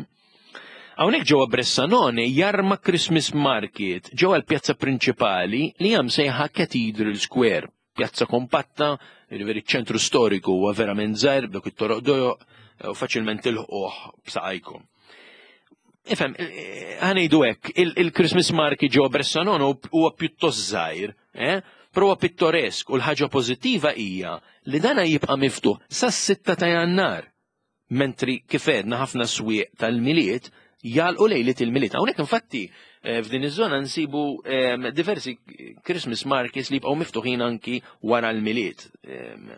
S1: Hawnhekk ġewwa Bressanone jarma Christmas Market ġewwa l-pjazza prinċipali li hemm sejħa Cathedral Square, pjazza kompatta, jiġifieri ċ-ċentru storiku huwa verament żgħir b'dawk it-toroq dojo u faċilment tilħquh b'saqajkom. Ifhem, ħanejdu hekk, il-Christmas Market ġewwa Bressanone huwa pjuttost żgħir, eh? Però huwa pittoresk u l-ħaġa pożittiva hija li dana jibqa' miftuħ sas-sitta ta' Jannar. Mentri kif għedna ħafna swieq tal-Milied jagħlqu lejliet il-Milied. Hawnhekk infatti eh, f'din iż-żona nsibu em, diversi Christmas markets li jibqgħu miftuħin anki wara l-Milied. Em,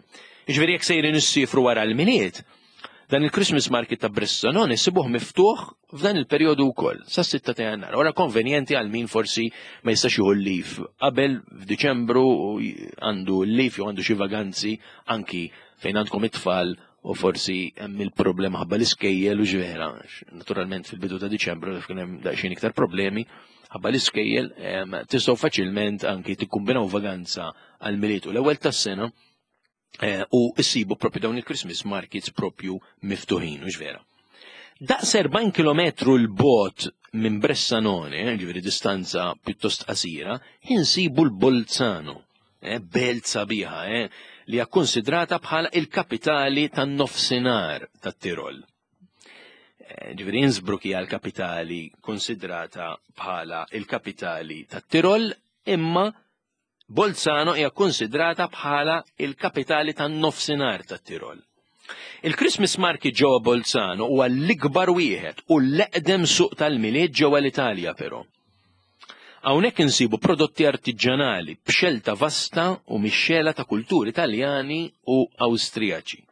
S1: Jiġifieri jekk sejrin issifru wara l-Milied, Dan il-Christmas market ta' Bressanone sibuh miftuħ f'dan il-perjodu wkoll, sas-sitta ta' Jannar. Ora konvenjenti għal min forsi ma jistax jieħu l-leave qabel f'Diċembru u għandu l-leave jew għandu xi vaganzi, anki fejn għandkom it-tfal u forsi hemm il-problema ħabba l-iskejjel u ġvera. Naturalment fil-bidu ta' Diċembru kien hemm daqsxejn iktar problemi ħabba l-iskejjel, tistgħu faċilment anki tikkumbinaw vaganza għal Milied u l-ewwel tas-sena eh, u issibu propju dawn il-Christmas markets propju miftuħin, u vera. Daqs erbgħin kilometru l-bot minn Bressanone, eh, ġifieri distanza pjuttost qasira, insibu l-Bolzano, eh, belt sabiħa, eh, li hija konsidrata bħala il-kapitali tan-nofsinhar tat-Tirol. Eh, ġifieri Innsbruck hija l-kapitali konsidrata bħala il-kapitali tat-Tirol, imma Bolzano hija konsidrata bħala il-kapitali tan-nofsinhar tat-Tirol. Il-Christmas market ġewwa Bolzano huwa l-ikbar wieħed u l-eqdem suq tal-Milied ġewwa l-Italja però. Hawnhekk insibu prodotti artiġjanali b'xelta vasta u mixxela ta' kulturi Taljani u Awstrijaċi.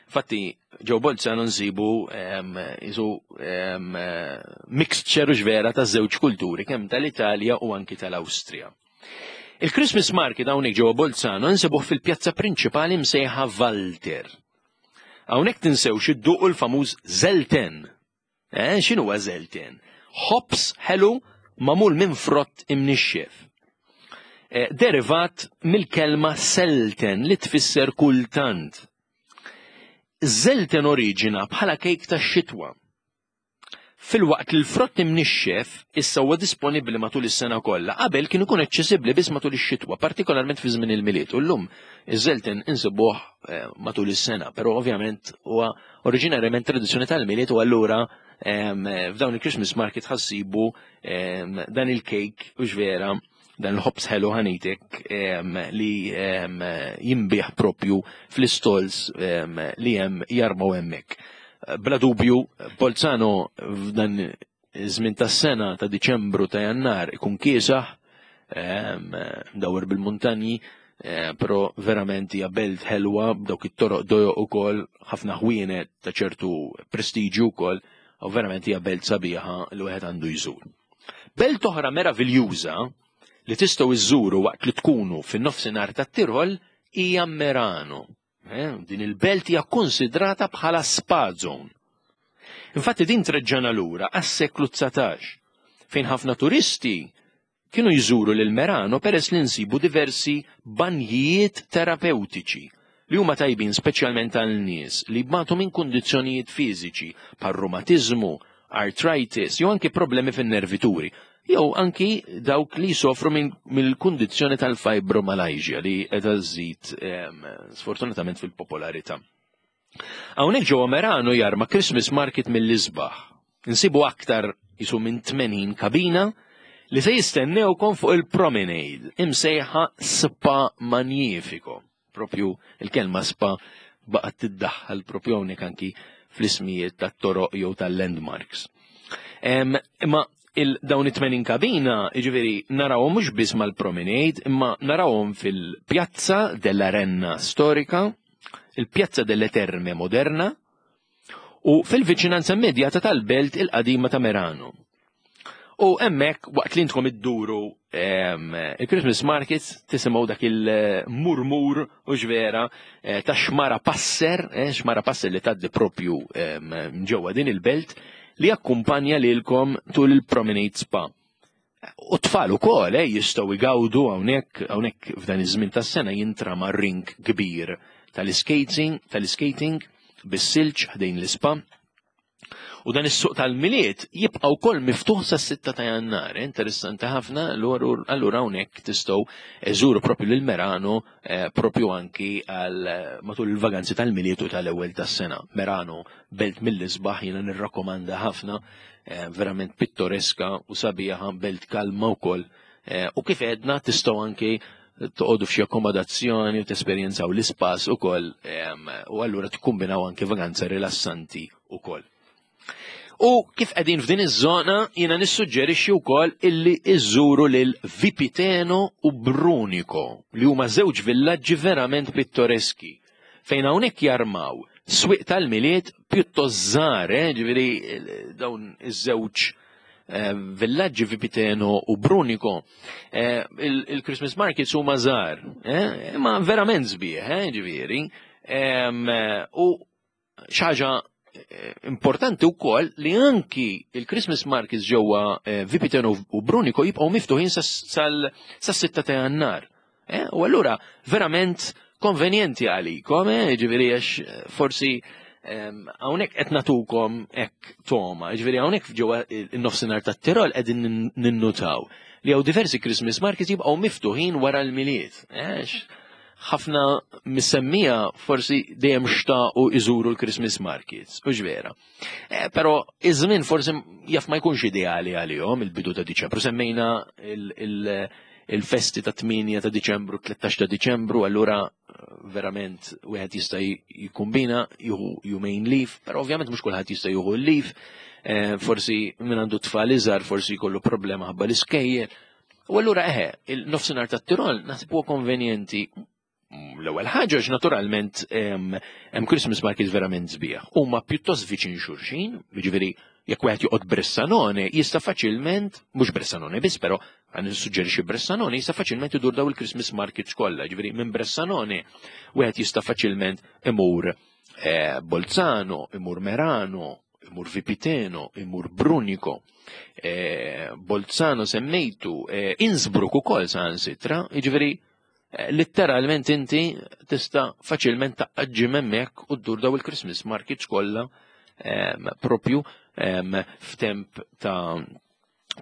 S1: Infatti, ġew Bolzano nsibu isu mixture u ġvera ta' żewġ kulturi, kemm tal-Italja u anki tal-Awstrija. Il-Christmas market hawnhekk ġewwa Bolzano nsibuh fil-pjazza prinċipali msejħa Walter. Hawnhekk tinsewx idduqu l-famuż Zelten. Eh, x'inhu huwa Zelten? Ħobż ħelu magħmul minn frott imnixxef. Eh, derivat mill-kelma selten li tfisser kultant. Zelten oriġina bħala kejk tax-xitwa. Filwaqt li l-frott imnixxef issa huwa disponibbli matul is-sena kollha, qabel kien ikun aċċessibbli biss matul ix-xitwa, partikolarment fi żmien il-Milied. U llum iż-Zelten insibuh eh, matul is-sena, però ovvjament huwa oriġinarjament tradizzjoni tal-Milied u allura f'dawn il-Christmas market ħassibu dan il-kejk u ġvera dan il-ħobż ħelu ħanitek li jinbiegħ propju fl-istalls li hemm jarmaw hemmhekk. Bla dubju, Bolzano f'dan iż-żmien tas-sena ta' Diċembru, ta' Jannar, ikun kiesaħ, dawwer bil-muntanji, però verament hija belt ħelwa b'dawk it-toroq dojoq ukoll, ħafna ħwienet ta' ċertu prestiġju wkoll, u verament hija belt sabiħa li wieħed għandu jżur. Belt oħra meraviljuża li tistgħu iżżuru waqt li tkunu fin-nofsinhar tat-Tirol hija Merano. Eh, din il-belt hija konsidrata bħala spa zone. Infatti din treġġana lura għas-seklu dsatax, fejn ħafna turisti kienu jżuru lil Merano peress li nsibu diversi banjijiet terapeutiċi li huma tajbin speċjalment għal nies li jbatu minn kundizzjonijiet fiżiċi bħal rumatiżmu, arthritis jew anki problemi fin-nervituri, jew anki dawk li jsofru mill-kundizzjoni tal-fibromyalgia li qiegħda żżid sfortunatament fil-popolarità. Hawnhekk ġewwa Merano jarma Christmas market mill-isbaħ. Insibu aktar jisu minn tmenin kabina li se jistennewkom fuq il-promenade imsejħa Spa Magnifico. Propju il-kelma spa baqgħet tiddaħħal propju hawnhekk anki fl-ismijiet tat-toroq jew tal-landmarks. Imma il-dawn it-tmenin kabina, jiġifieri narawhom mhux biss mal-promenade, imma narawhom fil-Pjazza della Renna Storica, il-Pjazza delle Terme Moderna u fil-viċinanza immedjata tal-belt il-qadima ta' Merano. U hemmhekk waqt li intkom idduru il-Christmas markets tisimgħu dak il-murmur u ġvera eh, ta' xmara Passer, eh, xmara Passer li tgħaddi propju ġewwa din il-belt li jakkumpanja lilkom tul il-Promenade Spa. U tfal ukoll eh, jistgħu jgawdu hawnhekk hawnhekk f'dan iż-żmien tas-sena jintrama rink kbir tal-skating, tal-skating bis-silġ ħdejn l-ispa. U dan is-suq tal-Milied jibqa' wkoll miftuħ sas-sitta ta' Jannar, eh, interessanti ħafna, allura hawnhekk tistgħu żuru propju lil Merano eh, propju anki għal eh, matul il-vaganzi tal-Milied u tal-ewwel tas-sena. Merano belt mill-isbaħ, jiena nirrakkomanda ħafna, verament pittoreska u sabiħa, belt kalma wkoll. U kif għedna tistgħu anki toqgħodu f'xi akkomodazzjoni u tesperjenzaw l-ispas ukoll u allura tikkumbinaw anki vaganza rilassanti ukoll. U kif qegħdin f'din iż-żona jiena nissuġġerixxi wkoll illi iżuru lil Vipiteno u Brunico li huma żewġ villaġġi verament pittoreski fejn hawnhekk jarmaw Swieq tal-Milied pjuttost żgħar, eh, ġifieri dawn iż-żewġ eh, villaġġi Vipiteno u Brunico. Eh, il-Christmas markets huma żgħar, eh, imma verament sbieħ, eh, ġifieri. U xi ħaġa importanti wkoll li anki il-Christmas markets ġewwa Vipiteno u Brunico jibqgħu miftuħin sas-sitta ta' Jannar. U allura verament konvenjenti għalikom, ġifieri għax forsi hawnhekk qed nagħtukom hekk toma, ġifieri hawnhekk ġewwa in-nofsinhar tat-Tirol qegħdin ninnutaw li hawn diversi Christmas markets jibqgħu miftuħin wara l-Milied. Ħafna mis-semmiegħa forsi dejjem xtaqu iżuru l-Christmas markets, u vera. Però iż-żmien forsi jaf ma jkunx ideali għalihom il-bidu ta' Diċembru. Semmejna il-festi ta' tmienja ta' Diċembru, tlettax ta' Diċembru, allura verament wieħed jista' jikkombina jieħu jumejn leave, però ovvjament mhux kulħadd jista' jieħu l-leave, forsi min għandu tfal iżgħar forsi jkollu problema ħabba l-iskejjel. U allura eħe, il-nofsinhar tat-Tirol naħseb huwa konvenjenti. L-ewwel ħaġa għax naturalment hemm Christmas market verament sbieħ. Huma pjuttost viċin xulxin, jiġifieri jekk wieħed joqgħod Bressanone jista' faċilment, mhux Bressanone biss, però għan nissuġġerixxi Bressanone, jista' faċilment idur daw il-Christmas markets kollha. Ġifieri minn Bressanone wieħed jista' faċilment imur eh, Bolzano, imur Merano, imur Vipiteno, imur Brunico, eh, Bolzano semmejtu, eh, Innsbruck ukoll saħansitra, jiġifieri letteralment inti tista' faċilment taqġi hemmhekk u ddur daw il-Christmas markets kollha propju f'temp ta'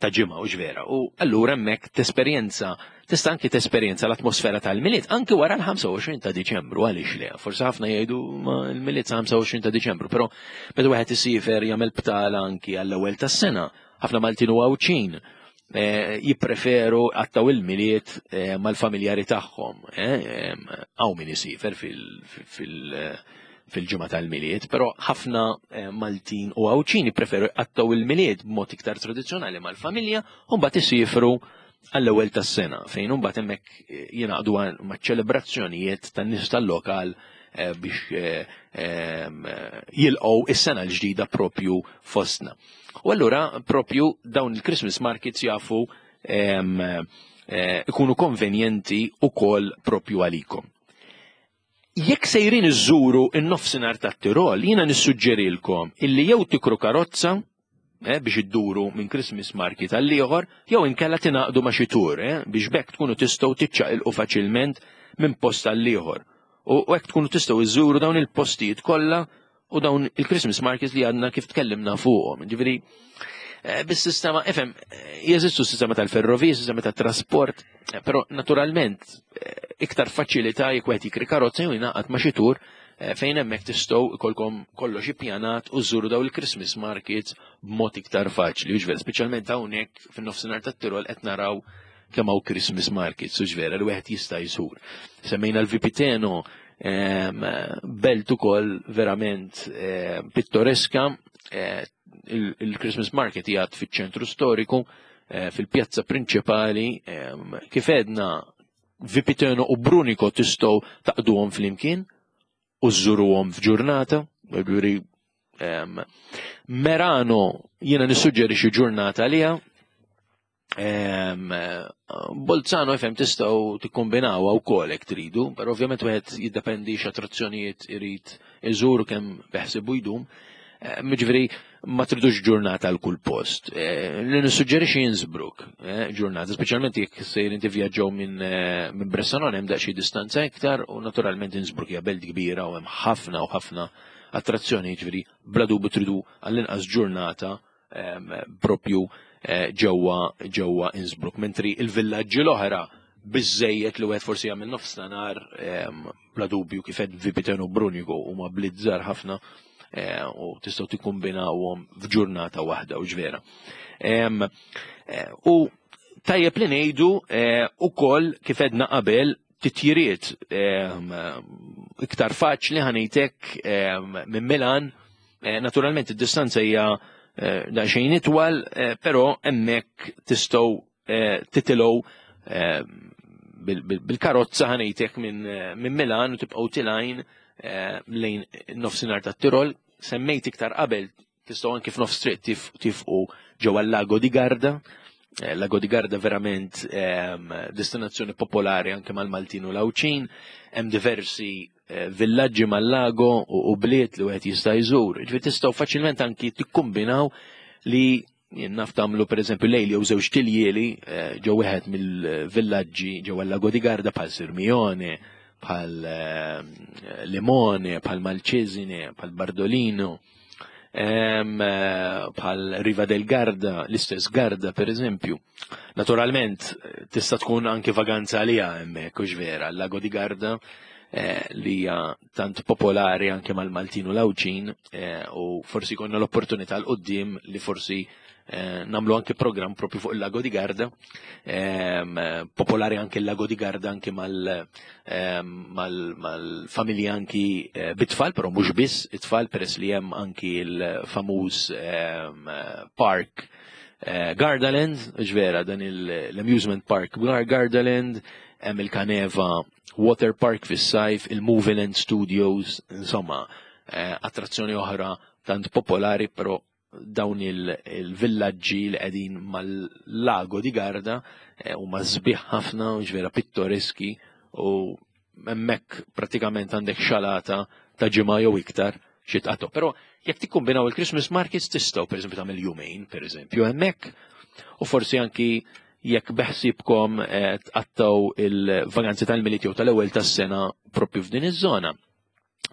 S1: ta' ġimgħa u ġvera. U allura hemmhekk tesperjenza, tista' anki tesperjenza l-atmosfera tal-Milied anki wara l-ħamsa u għoxrin ta' Diċembru, għaliex le. Forsi ħafna jgħidu ma l-Milied sa ħamsa u għoxrin ta' Diċembru, però meta wieħed isiefer jagħmel btala anki għall-ewwel tas-sena, ħafna Maltin u Għawdxin eh, jippreferu għattaw il-Milied eh, mal-familjari tagħhom. Hawn min isiefer fil-, fil-, fil-ġimgħa tal-Milied, però ħafna eh, Maltin u Għawdxin jippreferu jqattaw il-Milied b'mod iktar tradizzjonali mal-familja u mbagħad isifru għall-ewwel tas-sena fejn imbagħad hemmhekk eh, jingħaqdu maċ-ċelebrazzjonijiet tan-nies tal-lokal eh, biex jilqgħu is-sena l-ġdida propju fostna. U allura propju dawn il-Christmas markets jafu ikunu konvenjenti ukoll propju għalikom. Jekk sejrin iżżuru in-nofsinhar tat-Tirol, jiena nissuġġerilkom illi jew tikru karozza eh, biex idduru minn Christmas market għal ieħor, jew inkella tingħaqdu ma' xi tur eh, biex bekk tkunu tistgħu tiċċaqilqu faċilment minn post għal ieħor. U hekk tkunu tistgħu iżżuru dawn il-postijiet kollha u dawn il-Christmas markets li għadna kif tkellimna fuqhom. Ġifieri, eh, bis-sistema, ifhem, jeżistu sistema tal-ferrovija, sistema tat-trasport, eh, però naturalment eh, iktar faċilità jekk wieħed jikri karozza jew jingħaqad ma' xi tur fejn hemmhekk tistgħu ikolkom kollox ippjanat u żżuru daw il-Christmas markets b'mod iktar faċli. Jiġifieri, speċjalment hawnhekk fin-nofsinhar tat-Tirol qed naraw kemm hawn Christmas markets, u ġvera li wieħed jista' jżur. Semmejna l-Vipiteno, belt ukoll verament pittoreska, il-Christmas market jgħad fiċ-ċentru storiku, fil-pjazza prinċipali, kif għedna Vipiteno u Brunico tistgħu taqduhom flimkien u żżuruhom f'ġurnata, ġifieri Merano jiena nissuġġerixxi ġurnata għaliha. Bolzano ifhem tistgħu tikkombinawha wkoll hekk tridu, però ovvjament wieħed jiddependi x'attrazzjonijiet irid iżur kemm beħsibu jdum. Jiġifieri ma tridux ġurnata għal kull post. Li nissuġġerixxi Innsbruck, ġurnata, speċjalment jekk sejrin tivvjaġġaw minn minn Bressanone hemm daqsxejn distanza iktar u naturalment Innsbruck hija belt kbira u hemm ħafna u ħafna attrazzjoni, jiġifieri bla dubju tridu għall-inqas ġurnata propju ġewwa ġewwa Innsbruck. Mentri il-villaġġi l-oħra biżejjed li wieħed forsi jagħmel nofs ta' nhar bla dubju kif qed Vipiteno Brunico huma blizzar ħafna u tistgħu tikkombinawhom f'ġurnata waħda u ġvera. U tajjeb li ngħidu ukoll kif edna qabel titjiriet iktar faċli ħanejtek minn Milan, naturalment id-distanza hija daqsxejn itwal, però hemmhekk tistgħu titilgħu bil-karozza ħanejtek minn Milan u tibqgħu tilgħin eh, lejn nofsinhar tat-Tirol. Semmejt iktar qabel, tistgħu anki f'nofs triq tifqu ġewwa l-Lago di Garda. Eh, Lago di Garda verament ehm, destinazzjoni popolari anke mal-Maltin u l-Għawdxin, hemm diversi eh, villaġġi mal-lago u bliet li wieħed jista' jżur. Ġifieri tistgħu faċilment anki tikkombinaw li naf tagħmlu, pereżempju, lejl jew żewġ tiljieli eh, ġew wieħed mill-villaġġi ġewwa l-Lago di Garda, bħal Sirmione, bħal Limone, bħal Malcesine, bħal Bardolino, eh, bħal Riva del Garda, l-istess Garda, per eżempju. Naturalment, tista' tkun anke vaganza għalija hemmhekk, hux vera, l-Lago di Garda eh, li hija tant popolari anke mal-Maltin u l-Għawdxin eh, u forsi konna l-opportunità 'l quddiem li forsi eh, nagħmlu anke program propju fuq il-Lago di Garda, eh, popolari anke il-Lago di Garda anke mal-familji mal, anki eh, bit-tfal, però mhux biss it-tfal, peress li hemm anki il-famuż eh, park eh, Gardaland, ġvera, dan l-amusement park Gardaland, hemm il-Caneva Water Park fis-sajf, il-Movieland Studios, insomma, eh, attrazzjoni oħra tant popolari, però dawn il-villaġġi li qegħdin mal-Lago di Garda eh, huma sbieħ ħafna, ġvera pittoreski, u hemmhekk pratikament għandek xalata ta' ġimgħa jew iktar xi tqattgħu. Però jekk tikkombinaw il-Christmas markets, tistgħu, pereżempju, tagħmel jumejn, pereżempju, hemmhekk, u forsi anki jekk beħsibkom eh, tqattgħu il-vaganzi tal-Milied jew tal-ewwel tas-sena propju f'din iż-żona,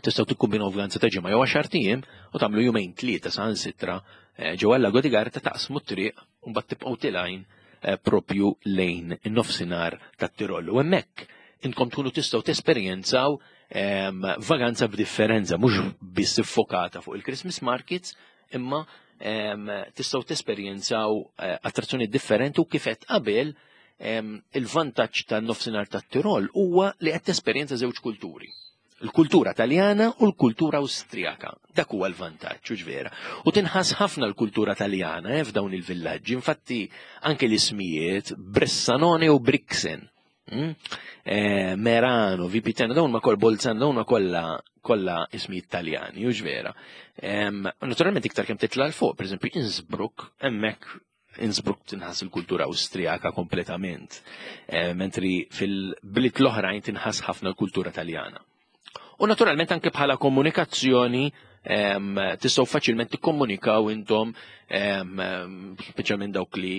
S1: tistgħu tikkombinaw vaganza ta' ġimgħa jew għaxar ijiem u tagħmlu jumejn, tlieta saħansitra eh, ġewwa l-Lago di Garda, taqsmu t-triq u mbagħad tibqgħu tilgħin eh, propju lejn in-nofsinhar tat-Tirol. U hemmhekk intkom tkunu tistgħu tesperjenzaw ehm, vaganza b'differenza, mhux biss iffokata fuq il-Christmas markets, imma ehm, tistgħu tesperjenzaw eh, attrazzjoni differenti. U kif qed qabel, ehm, il-vantaġġ tan-nofsinhar tat-Tirol huwa li qed tesperjenza żewġ kulturi: il-kultura Taljana u l-kultura Awstrijaka. Dak huwa l-vantaġġ, u vera. U tinħass ħafna l-kultura Taljana eh, f'dawn il-villaġġi. Infatti anke l-ismijiet Bressanone u Brixen, Mm? Eh, Merano, Vipiteno, dawn ma kol Bolzano, dawn ma kollha kollha ismijiet Taljani, u vera. Naturalment iktar kemm titla' 'l fuq, per eżempju Innsbruck, hemmhekk Innsbruck tinħass il-kultura Awstrijaka kompletament, eh, mentri fil-bliet l-oħrajn tinħass ħafna l-kultura Taljana. U naturalment anke bħala komunikazzjoni tistgħu faċilment tikkomunikaw intom, speċjalment dawk li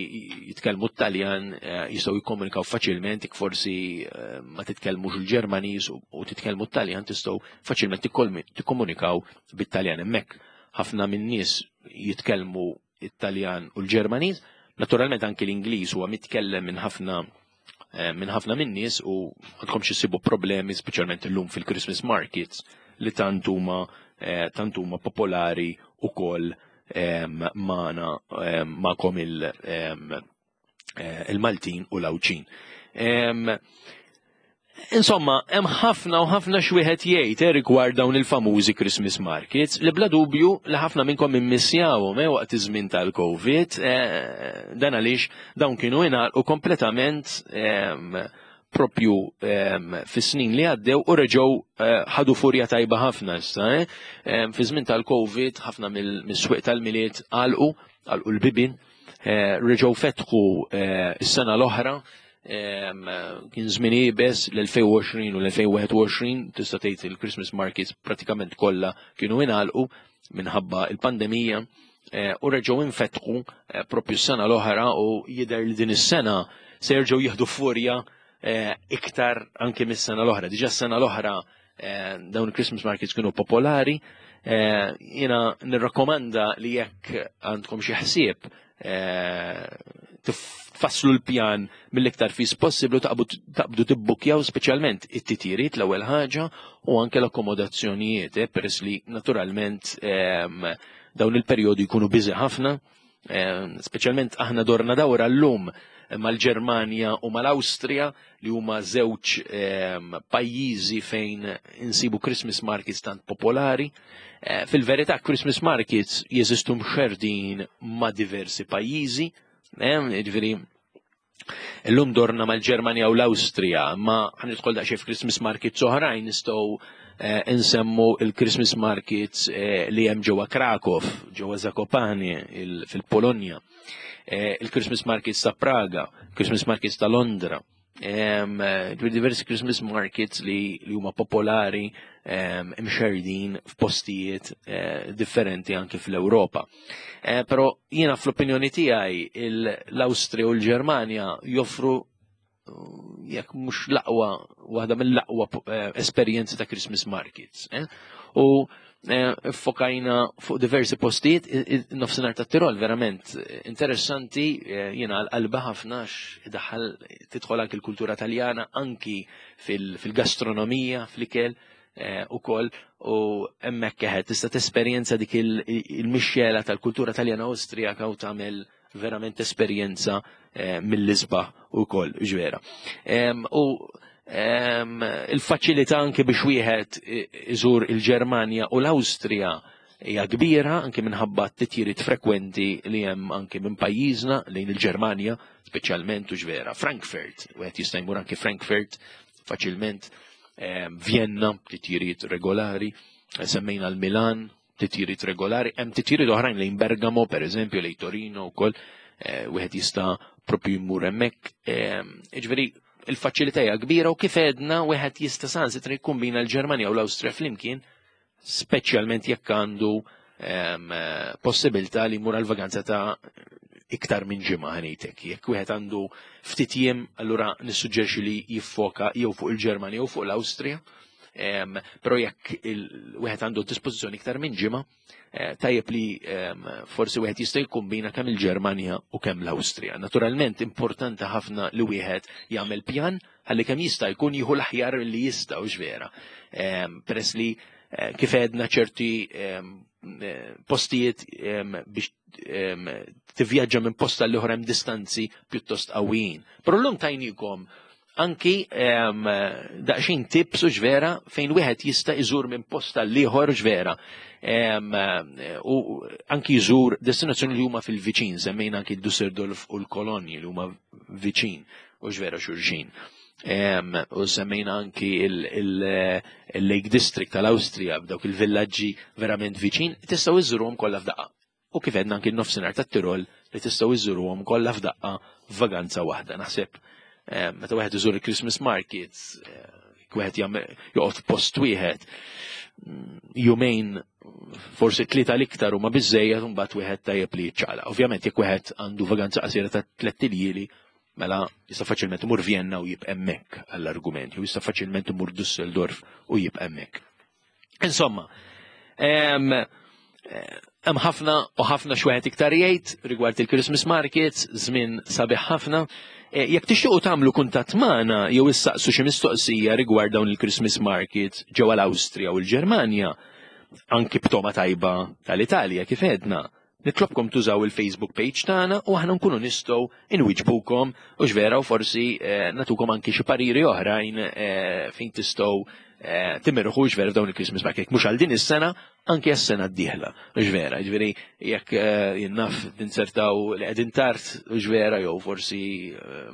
S1: jitkellmu t-Taljan eh, jistgħu jikkomunikaw faċilment. Ik forsi ma titkellmux il-Ġermaniż u titkellmu t-Taljan, tistgħu faċilment tikkomunikaw bit-Taljan hemmhekk. Ħafna min-nies jitkellmu it-Taljan u l-Ġermaniż, naturalment anke l-Ingliż huwa mitkellem minn ħafna eh, minn ħafna min-nies u għandkom issibu problemi, speċjalment illum fil-Christmas markets li tant huma eh, tant huma popolari ukoll magħna, magħkom eh, il-Maltin u l-Għawdxin. Insomma, hemm ħafna u ħafna x'wieħed jgħid eh, rigward dawn il-famużi Christmas markets li bla dubju li ħafna minnkom immissjawhom eh, waqt iż-żmien tal-Covid, eh, dan għaliex dawn kienu ingħalqu kompletament propju fis-snin li għaddew u reġgħu ħadu furja tajba ħafna issa. Fi żmien tal-Covid ħafna mill-swieq tal-Milied għalqu, għalqu l-bibin, reġgħu fetħu s-sena l-oħra. Kien żmien iebes l-elfejn u għoxrin u l-elfejn u wieħed u għoxrin, tista' tgħid il-Christmas markets pratikament kollha kienu ingħalqu minħabba il-pandemija eh, u reġgħu infetħu eh, propju s-sena l-oħra u jidher li din is-sena se jerġgħu jieħdu furja eh, iktar anke mis-sena l-oħra. Diġà s-sena l-oħra dawn il-Christmas markets kienu popolari. Jiena nirrakkomanda li jekk għandkom xi ħsieb tfasslu l-pjan mill-iktar fis possiblu, taqbdu tibbukjaw speċjalment it-titjiriet l-ewwel ħaġa u anke l-akkomodazzjonijiet, eh, peress li naturalment ehm, dawn il-perjodi jkunu busy ħafna, ehm, speċjalment aħna dorna dawra llum mal-Ġermanja u mal-Awstrija, li huma żewġ ehm, pajjiżi fejn insibu Christmas markets tant popolari. Eh, fil-verità Christmas markets jeżistu mxerdin ma' diversi pajjiżi, ġifieri Illum dorna mal-Ġermanja u l-Awstrija, ma ħa nidħol daqsxejn f'Christmas markets oħrajn, nistgħu eh, insemmu il-Christmas markets eh, li hemm ġewwa Krakow, ġewwa Zakopane fil-Polonja, eh, il-Christmas markets ta' Praga, Christmas markets ta' Londra. Diversi Christmas markets li, li huma popolari, imxerdin f'postijiet differenti anke fl-Ewropa. Però jiena fl-opinjoni tiegħi l-Awstrija u l-Ġermanja joffru, jekk mhux l-aqwa, waħda mill-aqwa esperjenzi ta' Christmas markets. U fokajna fuq diversi postijiet, nofsinhar ta' Tirol verament interessanti, jiena għal-qalba ħafna, daħal tidħol anki l-kultura Taljana, anki fil-gastronomija, fl-ikel ukoll, u hemmhekk eħed tista' tesperjenza dik il-mixxela tal-kultura Taljana Awstrijaka u tagħmel verament esperjenza mill-isbaħ ukoll, ġvera. U il-faċilità anke biex wieħed iżur il-Ġermanja u l-Awstrija hija kbira, anke minħabba t-titjiriet frekwenti li hemm anke minn pajjiżna lejn il-Ġermanja, speċjalment, u ġvera Frankfurt, wieħed jista' jmur anke Frankfurt faċilment, Vienna, titjiriet regolari, semmejna l-Milan, titjiriet regolari, hemm titjiriet oħrajn lejn Bergamo, per eżempju, lejn Torino wkoll, wieħed jista' propju jmur hemmhekk. Jiġifieri il-faċilità hija kbira u kif għedna wieħed jista' sansitra jikkombina l-Ġermanja u l-Awstrija flimkien, speċjalment jekk għandu possibilità li jmur għal vaganza ta' iktar minn ġimgħa, ħanejtek. Jekk wieħed għandu ftit jiem, allura nissuġġerixxi li jiffoka jew fuq il-Ġermanja jew fuq l-Awstrija. Però jekk wieħed għandu dispożizzjoni iktar minn ġimgħa, tajjeb li forsi wieħed jista' jikkombina kemm il-Ġermanja u kemm l-Awstrija. Naturalment importanti ħafna li wieħed jagħmel pjan ħalli kemm jista' jkun jieħu l-aħjar li jista', u vera. Peress li kif għedna ċerti postijiet biex tivvjaġġa minn posta l oħra hemm distanzi pjuttost qawwijin. Però llum tajnikom anki daqsxejn tips, u ġvera, fejn wieħed jista' iżur minn posta l-ieħor, ġvera. U anki jżur destinazzjoni li huma fil-viċin, semmejna anki Düsseldorf u l-Kolonji li huma viċin, u ġvera, xulxin. U semmejna anki il-Lake District tal-Awstrija b'dawk il-villaġġi verament viċin, tistgħu iżuruhom kollha f'daqqa. U kif għedna anki n-nofsinhar tat-Tirol li tistgħu iżuruhom kollha f'daqqa f'vaganza waħda. Naħseb meta wieħed iżur il-Christmas markets, wieħed joqgħod post wieħed jumejn, forsi tlieta l-iktar huma biżejjed, u mbagħad wieħed tajjeb li jiċċaqlaq. Ovvjament jekk wieħed għandu vaganza qasira ta' tliet iljieli, mela jista' faċilment imur Vienna u jibqa' hemmhekk għall-argument, jew jista' faċilment imur Düsseldorf u jibqa' hemmhekk. Insomma, hemm ħafna u ħafna x'wieħed iktar jgħid rigward il-Christmas markets, żmien sabiħ ħafna. Jekk tixtiequ tagħmlu kuntatt magħna jew issaqsu xi mistoqsija rigward dawn il-Christmas markets ġewwa l-Awstrija u l-Ġermanja, anki b'toma tajba tal-Italja kif għedna, nitlobkom tużaw il-Facebook page tagħna u aħna nkunu nistgħu inwiġbukom, u ġvera, u forsi natukom anki xi pariri oħrajn fejn tistgħu timirħu, ġvera, f'dawn il-Christmas market. Mhux għal din is-sena, anki għas-sena d-dieħla. Ġvera, ġifieri jekk jinnaf tinsertaw li qegħdin tard, ġvera, jew forsi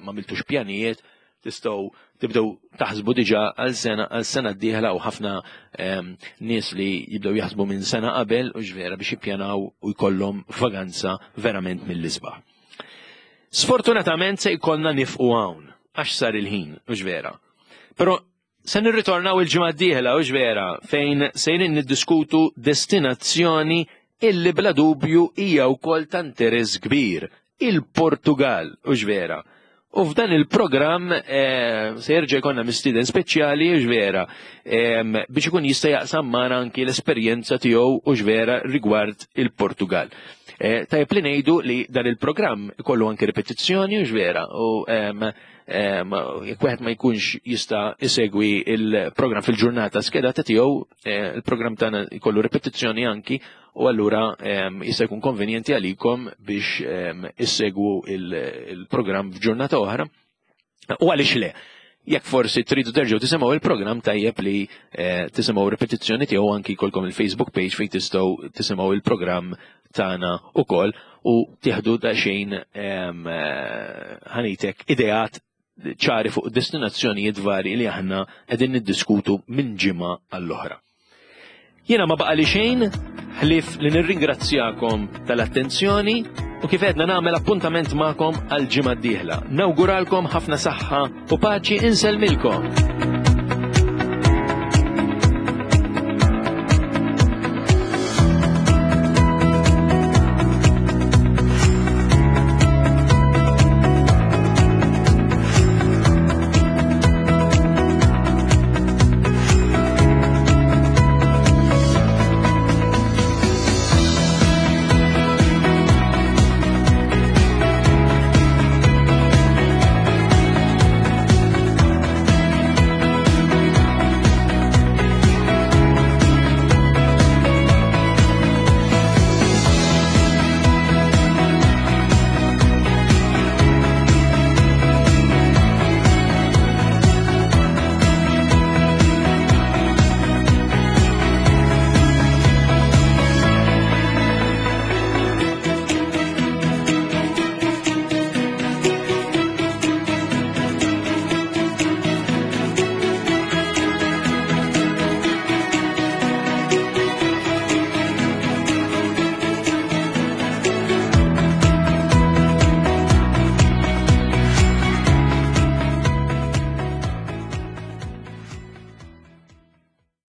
S1: ma għamiltux pjanijiet, tistgħu tibdew taħsbu diġà għal sena għal sena d-dieħla, u ħafna nies li jibdew jaħsbu minn sena qabel, u ġvera, biex jippjanaw u jkollhom vaganza verament mill-isbaħ. Sfortunatament se jkollna nieqfu hawn għax sar il-ħin, u ġvera. Però se nirritornaw il-ġimgħa d-dieħla, u ġvera, fejn sejrin niddiskutu destinazzjoni illi bla dubju hija wkoll ta' interess kbir, il-Portugal, u ġvera. U f'dan il-programm se jerġa' jkollna mistieden speċjali, u ġvera, biex ikun jista' jaqsam magħna anki l-esperjenza tiegħu, u ġvera, rigward il-Portugal. Tajjeb li ngħidu li dan il-programm ikollu anki ripetizzjoni, u ġvera, u jekk wieħed ma jkunx jista' isegwi il-programm fil-ġurnata skedata tiegħu, il-programm tagħna jkollu ripetizzjoni anki, u allura jista' jkun konvenjenti għalikom biex issegwu il-programm f'ġurnata oħra. U għaliex le? Jekk forsi tridu terġgħu tisimgħu il-programm, tajjeb li eh, tisimgħu ripetizzjoni tiegħu, anki jkollkom il-Facebook page fejn tistgħu tisimgħu il-programm tagħna ukoll u tieħdu daqsxejn em, eh, ħanitek ideat ċari fuq destinazzjonijiet vari li aħna qegħdin niddiskutu minn ġimgħa għall-oħra. Jiena ma baqa li xejn ħlief li nirringrazzjakom tal-attenzjoni u kif għedna nagħmel appuntament magħkom għal ġimgħa d-dieħla. Nawguralkom ħafna saħħa u paċi, insellmilkom.